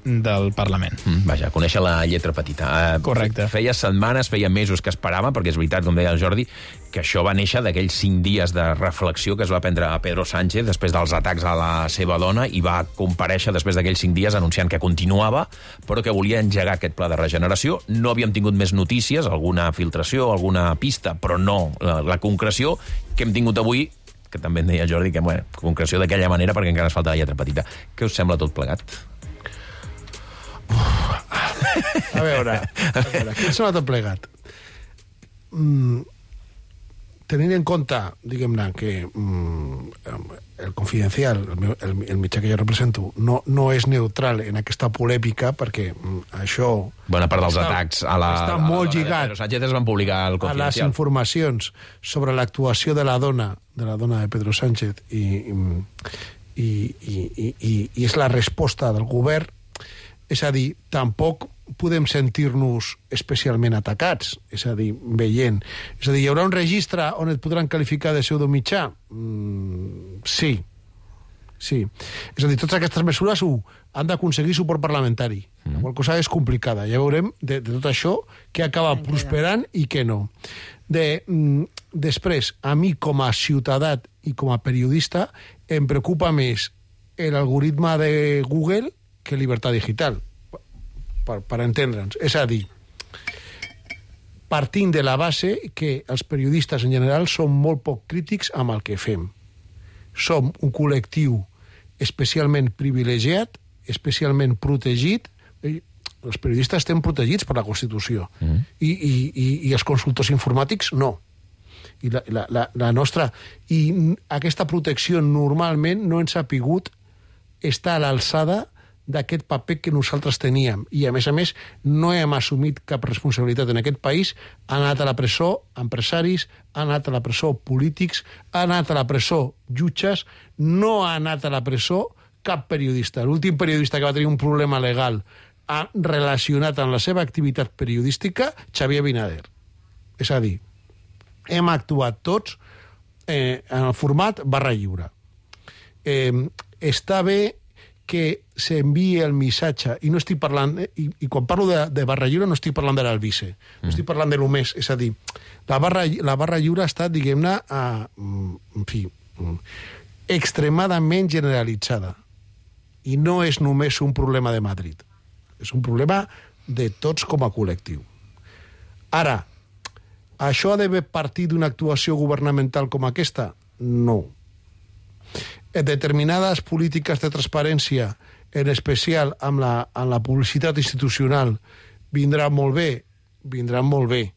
del Parlament. Vaja, conèixer la lletra petita. Correcte. Feia setmanes, feia mesos que esperava, perquè és veritat, com deia el Jordi, que això va néixer d'aquells 5 dies de reflexió que es va prendre a Pedro Sánchez després dels atacs a la seva dona, i va comparèixer després d'aquells 5 dies anunciant que continuava, però que volia engegar aquest pla de regeneració. No havíem tingut més notícies, alguna filtració, alguna pista, però no la concreció que hem tingut avui, que també em deia Jordi, que concreció d'aquella manera perquè encara es falta la lletra petita. Què us sembla tot plegat? A veure, què us sembla tot plegat? Tenint en compte, diguem-ne, que el Confidencial, el mitjà que jo represento, no és neutral en aquesta polèmica, perquè això... Bona part dels atacs està molt lligat Pedro Sánchez es van publicar al Confidencial. A les informacions sobre l'actuació de la dona de Pedro Sánchez i és la resposta del govern. És a dir, tampoc podem sentir-nos especialment atacats, és a dir, veient. És a dir, hi haurà un registre on et podran qualificar de pseudomitjà? Sí. És a dir, totes aquestes mesures han d'aconseguir suport parlamentari. La qual cosa és complicada. Ja veurem de tot això què acaba prosperant i què no. Després, a mi com a ciutadà i com a periodista em preocupa més l'algoritme de Google que llibertat digital, per entendre'ns. És a dir, partint de la base que els periodistes en general som molt poc crítics amb el que fem. Som un col·lectiu especialment privilegiat, especialment protegit. Els periodistes estem protegits per la Constitució i els consultors informàtics no. I la nostra... I aquesta protecció normalment no ens ha pogut estar a l'alçada d'aquest paper que nosaltres teníem. I, a més, no hem assumit cap responsabilitat en aquest país. Han anat a la presó empresaris, han anat a la presó polítics, han anat a la presó jutges, no ha anat a la presó cap periodista. L'últim periodista que va tenir un problema legal relacionat amb la seva activitat periodística, Xavier Binader. És a dir, hem actuat tots en el format barra lliure. Està bé que s'enviï el missatge, i no estic parlant, i quan parlo de barra lliure no estic parlant de l'Albice, no estic parlant de només, és a dir, la barra lliure ha estat, diguem-ne, extremadament generalitzada, i no és només un problema de Madrid, és un problema de tots com a col·lectiu. Ara, això ha d'haver partit d'una actuació governamental com aquesta? No. Determinades polítiques de transparència, en especial amb la publicitat institucional, vindran molt bé,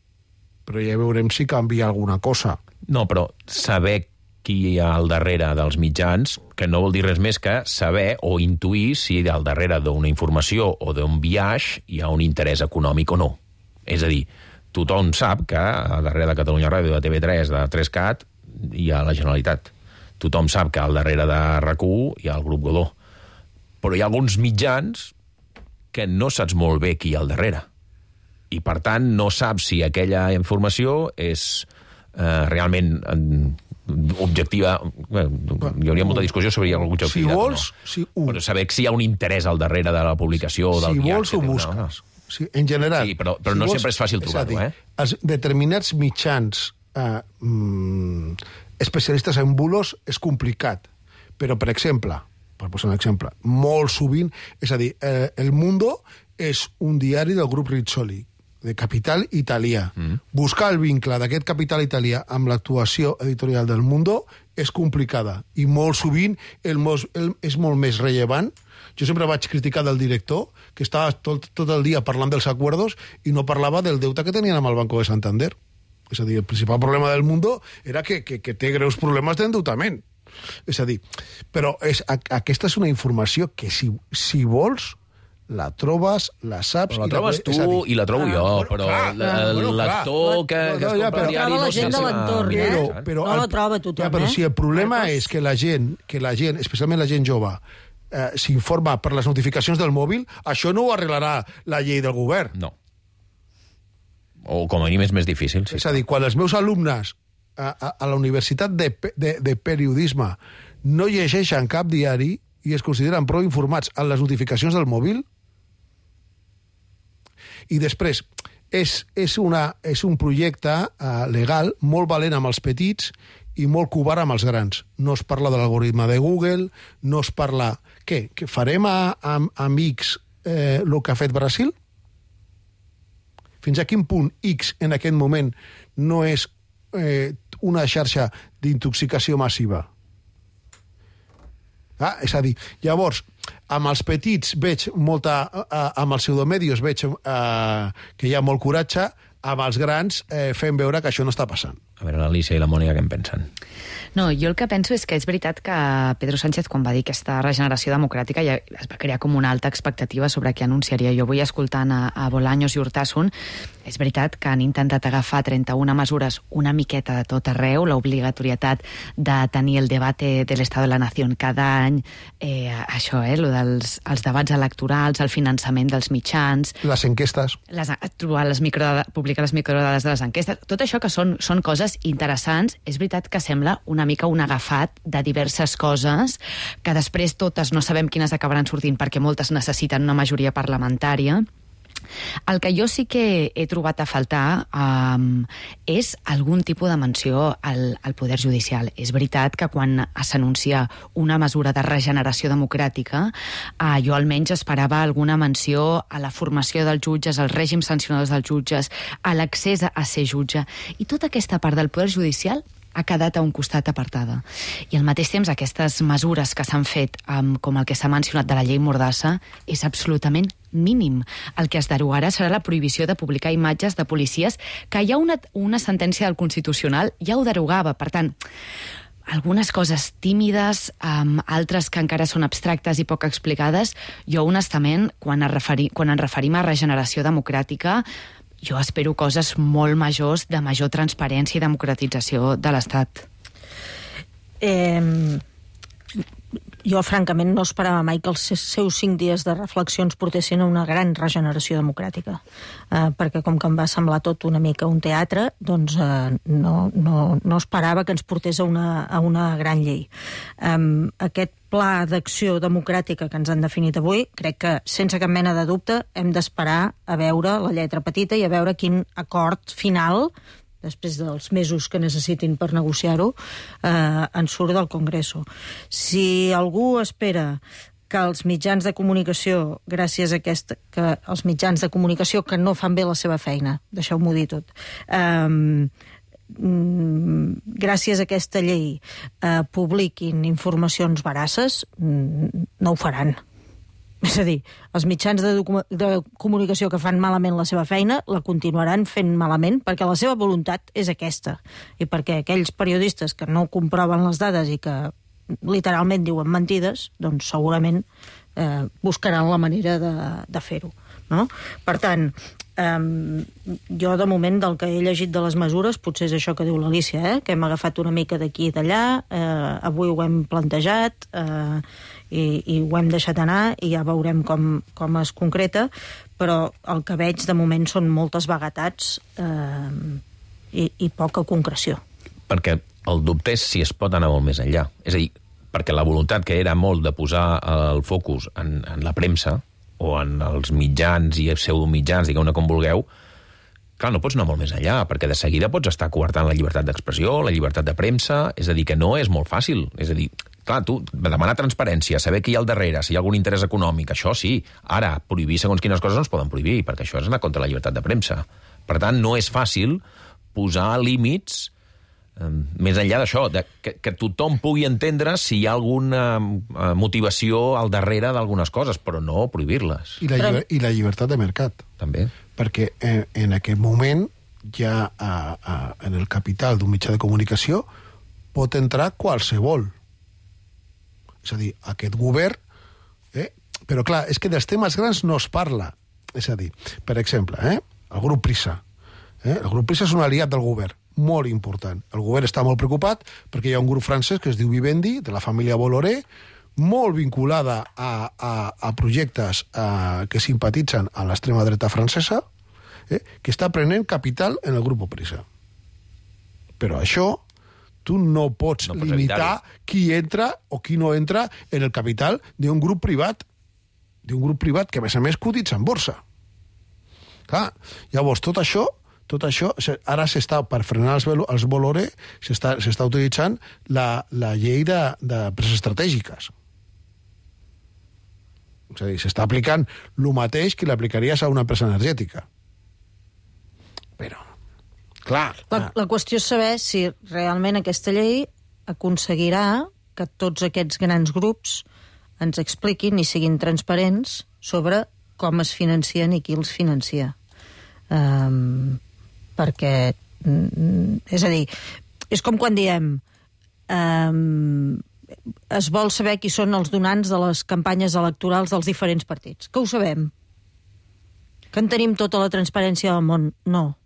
però ja veurem si canvia alguna cosa. No, però saber qui hi ha al darrere dels mitjans, que no vol dir res més que saber o intuir si al darrere d'una informació o d'un biaix hi ha un interès econòmic o no. És a dir, tothom sap que al darrere de Catalunya Ràdio, de TV3, de 3CAT, hi ha la Generalitat. Tothom sap que al darrere de RAC1 hi ha el grup Godó. Però hi ha alguns mitjans que no saps molt bé qui hi ha al darrere. I, per tant, no saps si aquella informació és realment objectiva. Hi hauria molta discussió sobre l'objectivitat. Si vols, però saber si hi ha un interès al darrere de la publicació o del si viatge. Vols, ho busques. Sí, en general. Sí, però no sempre és fàcil trobar-ho, Els determinats mitjans especialistes en bulos és complicat. Però, per exemple, per posar un exemple, molt sovint, és a dir, El Mundo és un diari del grup Rizzoli, de capital italià. Buscar el vincle d'aquest capital italià amb l'actuació editorial del Mundo és complicada i molt sovint és molt més rellevant. Jo sempre vaig criticar del director, que estava tot el dia parlant dels acuerdos i no parlava del deute que tenien amb el Banco de Santander. És a dir, el principal problema del Mundo era que té greus problemes d'endeutament. És a dir, però aquesta és una informació que si vols la trobes, la saps... Però la trobes tu i la trobo jo, però el lector que es compra el diari no gent de l'entorn, no la troba tothom. Però si el problema és que la gent, especialment la gent jove, s'informa per les notificacions del mòbil, això no ho arreglarà la llei del govern. No. O com a mínim és més difícil. És a dir, quan els meus alumnes a la Universitat de Periodisme no llegeixen cap diari i es consideren prou informats en les notificacions del mòbil, i després és un projecte legal molt valent amb els petits i molt covard amb els grans. No es parla de l'algoritme de Google, no es parla... Què? Que farem amb X el que ha fet Brasil? Fins a quin punt X en aquest moment no és una xarxa d'intoxicació massiva? És a dir, llavors, amb els petits veig molta... amb els pseudomedios veig que hi ha molt coratge, amb els grans fem veure que això no està passant. A veure, l'Alicia i la Mònica, què en pensen? No, jo el que penso és que és veritat que Pedro Sánchez, quan va dir aquesta regeneració democràtica, ja es va crear com una alta expectativa sobre què anunciaria. Jo vull escoltant a Bolaños i Urtasun, és veritat que han intentat agafar 31 mesures una miqueta de tot arreu, l'obligatorietat de tenir el debate de l'Estat de la Nació cada any, això, lo dels debats electorals, el finançament dels mitjans... Les enquestes. Publicar les microdades de les enquestes, tot això que són coses interessants. És veritat que sembla una mica un agafat de diverses coses que després totes no sabem quines acabaran sortint perquè moltes necessiten una majoria parlamentària. El que jo sí que he trobat a faltar és algun tipus de menció al poder judicial. És veritat que quan s'anuncia una mesura de regeneració democràtica, jo almenys esperava alguna menció a la formació dels jutges, als règims sancionadors dels jutges, a l'accés a ser jutge. I tota aquesta part del poder judicial ha quedat a un costat apartada. I al mateix temps aquestes mesures que s'han fet, com el que s'ha mencionat de la llei Mordassa, és absolutament mínim. El que es derogarà serà la prohibició de publicar imatges de policies, que hi ha una sentència del Constitucional, ja ho derogava. Per tant, algunes coses tímides, altres que encara són abstractes i poc explicades. Jo, honestament, quan ens referim a regeneració democràtica, jo espero coses molt majors, de major transparència i democratització de l'Estat. Jo, francament, no esperava mai que els seus 5 dies de reflexions portessin a una gran regeneració democràtica. Perquè com que em va semblar tot una mica un teatre, doncs no esperava que ens portés a una gran llei. Aquest pla d'acció democràtica que ens han definit avui, crec que, sense cap mena de dubte, hem d'esperar a veure la lletra petita i a veure quin acord final, després dels mesos que necessitin per negociar-ho, en surt del Congreso. Si algú espera que els mitjans de comunicació, gràcies a que els mitjans de comunicació que no fan bé la seva feina, deixeu-m'ho dir tot, gràcies a aquesta llei publiquin informacions veraces, no ho faran. És a dir, els mitjans de comunicació que fan malament la seva feina la continuaran fent malament perquè la seva voluntat és aquesta. I perquè aquells periodistes que no comproven les dades i que literalment diuen mentides, doncs segurament buscaran la manera de fer-ho. No? Per tant, jo de moment del que he llegit de les mesures, potser és això que diu l'Alícia, que hem agafat una mica d'aquí i d'allà, avui ho hem plantejat i ho hem deixat anar i ja veurem com es concreta, però el que veig de moment són moltes vaguetats i poca concreció. Perquè el dubte és si es pot anar molt més enllà. És a dir, perquè la voluntat que era molt de posar el focus en la premsa o en els mitjans i pseudomitjans, digueu-ne com vulgueu, clar, no pots anar molt més enllà, perquè de seguida pots estar coartant la llibertat d'expressió, la llibertat de premsa, és a dir, que no és molt fàcil. És a dir, clar, tu, demanar transparència, saber qui hi ha al darrere, si hi ha algun interès econòmic, això sí. Ara, prohibir segons quines coses no es poden prohibir, perquè això és anar contra la llibertat de premsa. Per tant, no és fàcil posar límits més enllà d'això, que tothom pugui entendre si hi ha alguna motivació al darrere d'algunes coses, però no prohibir-les. I la llibertat de mercat. També. Perquè en aquest moment ja en el capital d'un mitjà de comunicació pot entrar qualsevol. És a dir, aquest govern... Però clar, és que dels temes grans no es parla. És a dir, per exemple, el grup Prisa. El grup Prisa és un aliat del govern, molt important. El govern està molt preocupat perquè hi ha un grup francès que es diu Vivendi, de la família Bolloré, molt vinculada a projectes que simpatitzen a l'extrema dreta francesa, que està prenent capital en el grup Prisa. Però això tu no pots limitar qui entra o qui no entra en el capital d'un grup privat, que a més cotitza en borsa. Clar, llavors tot això ara s'està, per frenar els Bolloré, s'està utilitzant la llei de preses estratègiques. És a dir, s'està aplicant el mateix que l'aplicaries a una empresa energètica. Però, clar... La qüestió és saber si realment aquesta llei aconseguirà que tots aquests grans grups ens expliquin i siguin transparents sobre com es financien i qui els financia. Perquè, és a dir, és com quan diem es vol saber qui són els donants de les campanyes electorals dels diferents partits. Que ho sabem? Que en tenim tota la transparència del món? No.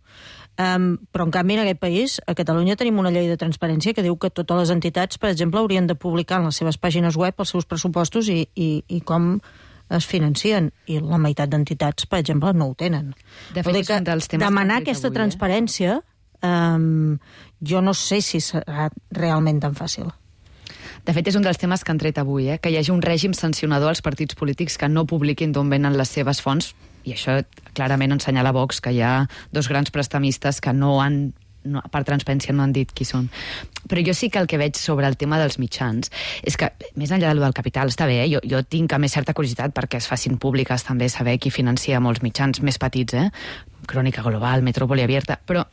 Però, en canvi, en aquest país, a Catalunya, tenim una llei de transparència que diu que totes les entitats, per exemple, haurien de publicar en les seves pàgines web els seus pressupostos i com es financien, i la meitat d'entitats, per exemple, no ho tenen. De fet, demanar aquesta transparència jo no sé si serà realment tan fàcil. De fet, és un dels temes que han tret avui, que hi hagi un règim sancionador als partits polítics que no publiquin d'on venen les seves fonts, i això clarament ensenyala Vox, que hi ha dos grans prestamistes que per transparència no han dit qui són. Però jo sí que el que veig sobre el tema dels mitjans és que, més enllà del capital, està bé, jo tinc a més certa curiositat perquè es facin públiques també saber qui financia molts mitjans més petits, Crònica Global, Metrópoli Abierta, però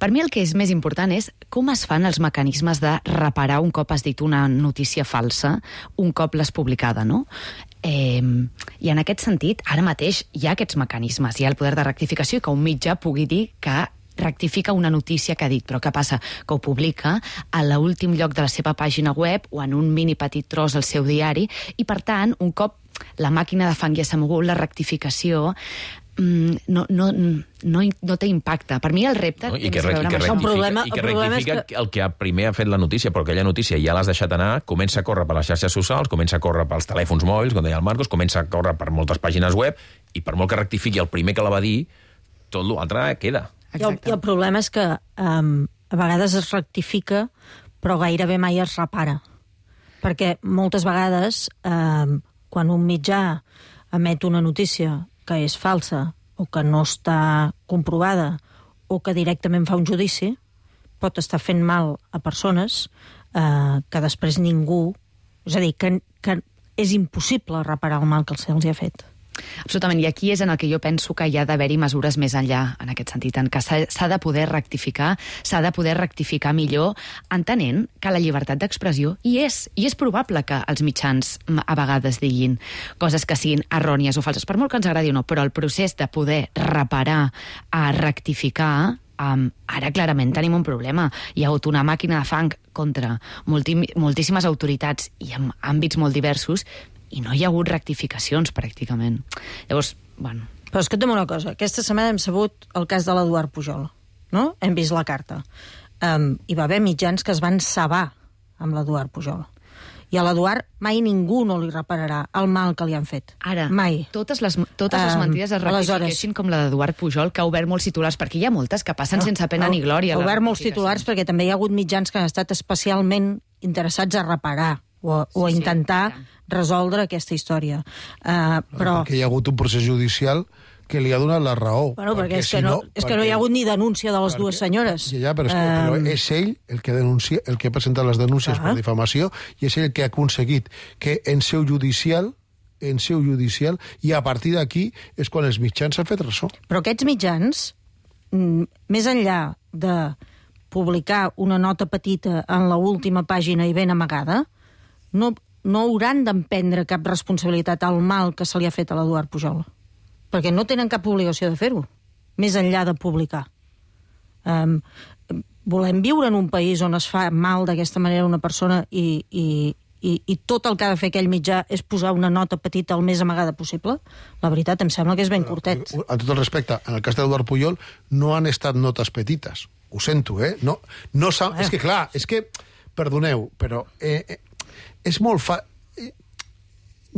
per mi el que és més important és com es fan els mecanismes de reparar un cop has dit una notícia falsa, un cop l'has publicada, no? I en aquest sentit, ara mateix hi ha aquests mecanismes, hi ha el poder de rectificació i que un mitjà pugui dir que rectifica una notícia que ha dit, però què passa? Que ho publica a l'últim lloc de la seva pàgina web o en un mini petit tros al seu diari i, per tant, un cop la màquina de fang ja s'ha mogut, la rectificació no té impacte. Per mi el repte té més a veure amb això. I que rectifica el que primer ha fet la notícia, però aquella notícia ja l'has deixat anar, comença a córrer per les xarxes socials, comença a córrer pels telèfons mòbils, com deia el Marcos, comença a córrer per moltes pàgines web, i per molt que rectifiqui el primer que la va dir, tot l'altre queda. I el problema és que a vegades es rectifica, però gairebé mai es repara. Perquè moltes vegades, quan un mitjà emet una notícia que és falsa o que no està comprovada o que directament fa un judici, pot estar fent mal a persones que després ningú... És a dir, que és impossible reparar el mal que se'ls ha fet. Absolutament, i aquí és en el que jo penso que hi ha d'haver-hi mesures més enllà, en aquest sentit, en què s'ha de poder rectificar, s'ha de poder rectificar millor, entenent que la llibertat d'expressió hi és probable que els mitjans a vegades diguin coses que siguin errònies o falses, per molt que ens agradi o no, però el procés de poder reparar, rectificar, ara clarament tenim un problema. Hi ha hagut una màquina de fang contra moltíssimes autoritats i en àmbits molt diversos, i no hi ha hagut rectificacions, pràcticament. Llavors, bueno... Però escolta'm una cosa, aquesta setmana hem sabut el cas de l'Eduard Pujol, no? Hem vist la carta. Hi va haver mitjans que es van cebar amb l'Eduard Pujol. I a l'Eduard mai ningú no li repararà el mal que li han fet. Ara, mai. Totes les mentides es rectifiquessin com la d'Eduard Pujol, que ha obert molts titulars, perquè hi ha moltes que passen sense pena ni glòria. Ha obert molts titulars perquè també hi ha hagut mitjans que han estat especialment interessats a reparar o a intentar resoldre aquesta història. Però... Perquè hi ha hagut un procés judicial que li ha donat la raó. Bueno, perquè és que no hi ha hagut ni denúncia de les dues senyores. Ja, però és ell el que denuncia, el que ha presentat les denúncies per difamació, i és ell el que ha aconseguit que en seu judicial, i a partir d'aquí és quan els mitjans s'han fet ressò. Però aquests mitjans, més enllà de publicar una nota petita en l'última pàgina i ben amagada, no hauran d'emprendre cap responsabilitat al mal que se li ha fet a l'Eduard Pujol. Perquè no tenen cap obligació de fer-ho, més enllà de publicar. Volem viure en un país on es fa mal d'aquesta manera a una persona i tot el que ha de fer aquell mitjà és posar una nota petita el més amagada possible? La veritat, em sembla que és ben curtet. A tot el respecte, en el cas d'Eduard Pujol no han estat notes petites. Ho sento, No és que, clar, perdoneu, però és molt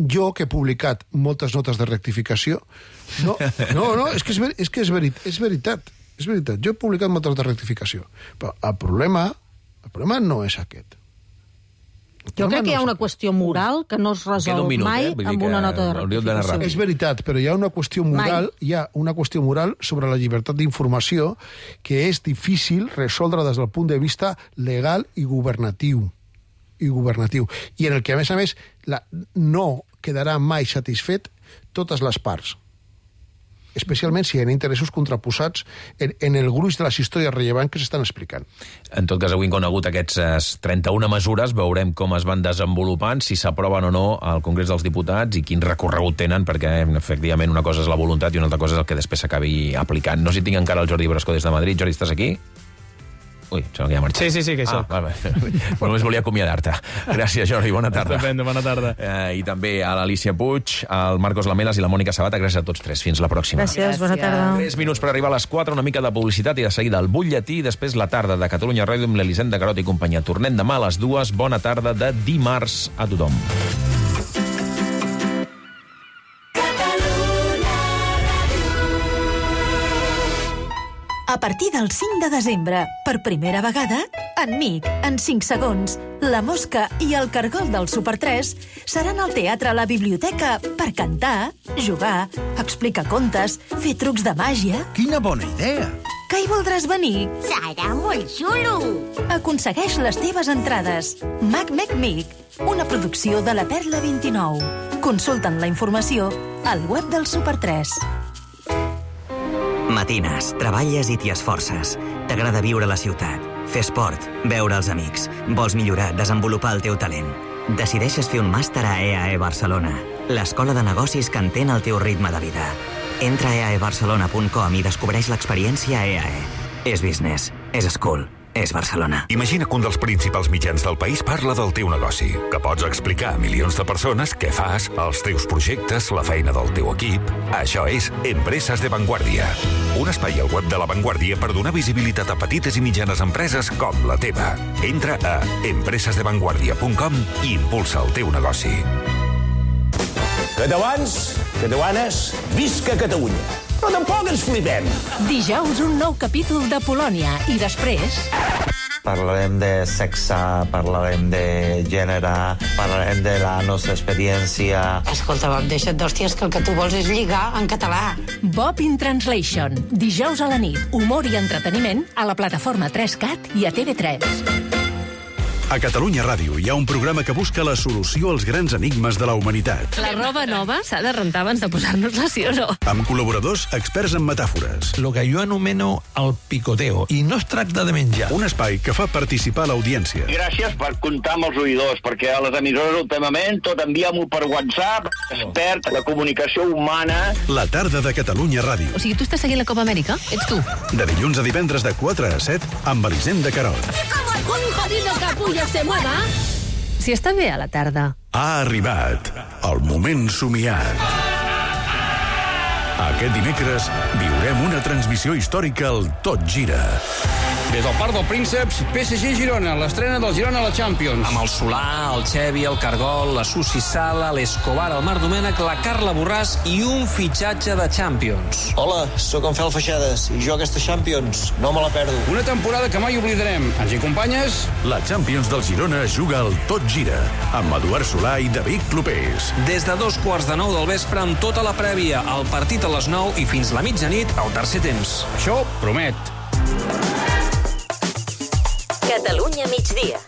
jo, que he publicat moltes notes de rectificació... No, és que és veritat. Jo he publicat moltes de rectificació. Però el problema no és aquest. Jo crec que hi ha una qüestió moral que no es resol mai amb una nota de rectificació. És veritat, però hi ha una qüestió moral sobre la llibertat d'informació que és difícil resoldre des del punt de vista legal i governatiu. I en el que, a més, no quedarà mai satisfet totes les parts. Especialment si hi ha interessos contraposats en el gruix de les històries rellevants que s'estan explicant. En tot cas, avui han conegut aquestes 31 mesures, veurem com es van desenvolupant, si s'aproven o no al Congrés dels Diputats i quin recorregut tenen, perquè efectivament una cosa és la voluntat i una altra cosa és el que després s'acabi aplicant. No sé si tinc encara el Jordi Brasco des de Madrid. Jordi, estàs aquí? Ui, sembla que ja ha marxat. Sí, que això. Només volia acomiadar-te. Gràcies, Jordi, bona tarda. Estupendo, bona tarda. I també a l'Alicia Puig, al Marcos Lamelas i la Mònica Sabata. Gràcies a tots tres. Fins la pròxima. Gràcies, bona tarda. 3 minuts per arribar a les 4, una mica de publicitat i de seguida el butlletí, i després la tarda de Catalunya Ràdio amb l'Elisenda Garot i companyia. Tornem demà a les 2. Bona tarda de dimarts a tothom. A partir del 5 de desembre, per primera vegada, en Nick, en 5 segons, La Mosca i el Cargol del Super 3 seran al Teatre La Biblioteca per cantar, jugar, explicar contes, fer trucs de màgia... Quina bona idea! Que hi voldràs venir? Serà molt xulo! Aconsegueix les teves entrades. Mac una producció de la Perla 29. Consulta'n la informació al web del Super 3. Matines, treballes i t'hi esforces. T'agrada viure a la ciutat, fer esport, veure els amics. Vols millorar, desenvolupar el teu talent. Decideixes fer un màster a EAE Barcelona, l'escola de negocis que entén el teu ritme de vida. Entra a eaebarcelona.com i descobreix l'experiència EAE. És business, és school, és Barcelona. Imagina que un dels principals mitjans del país parla del teu negoci, que pots explicar a milions de persones què fas, els teus projectes, la feina del teu equip. Això és Empreses de Vanguardia, un espai al web de La Vanguardia per donar visibilitat a petites i mitjanes empreses com la teva. Entra a empresesdevanguardia.com i impulsa el teu negoci. Catalans, catalanes, visca Catalunya! Però tampoc ens flipem. Dijous un nou capítol de Polònia i després... Parlarem de sexe, parlarem de gènere, parlarem de la nostra experiència... Escolta, Bob, deixa't d'hòsties que el que tu vols és lligar en català. Bob in Translation. Dijous a la nit, humor i entreteniment a la plataforma 3CAT i a TV3. A Catalunya Ràdio hi ha un programa que busca la solució als grans enigmes de la humanitat. La roba nova s'ha de rentar abans de posar-nos-la, sí o no? Amb col·laboradors experts en metàfores. Lo que jo anomeno el picoteo. I no es tracta de menjar. Un espai que fa participar l'audiència. Gràcies per comptar amb els oïdors, perquè a les emissores últimament tot envia-m'ho per WhatsApp, expert la comunicació humana. La tarda de Catalunya Ràdio. O sigui, tu estàs seguint la Copa Amèrica? Ets tu? De dilluns a divendres de 4 a 7 amb Elisenda Carot. Un jodido capullo se mueva. Si està bé a la tarda. Ha arribat el moment somiat. Aquest dimecres viurem una transmissió històrica al Tot Gira. Des del Parc del Prínceps, PSG Girona, l'estrena del Girona a la Champions. Amb el Solà, el Xevi, el Cargol, la Susi Sala, l'Escobar, el Marc Domènech, la Carla Borràs i un fitxatge de Champions. Hola, sóc en Fel Feixades i jo aquesta Champions no me la perdo. Una temporada que mai oblidarem. Ens hi acompanyes? La Champions del Girona juga al Tot Gira, amb Eduard Solà i David Clopés. Des de 2:45 del vespre amb tota la prèvia, el partit a les 9 i fins la mitjanit al tercer temps. Això promet. Catalunya migdia.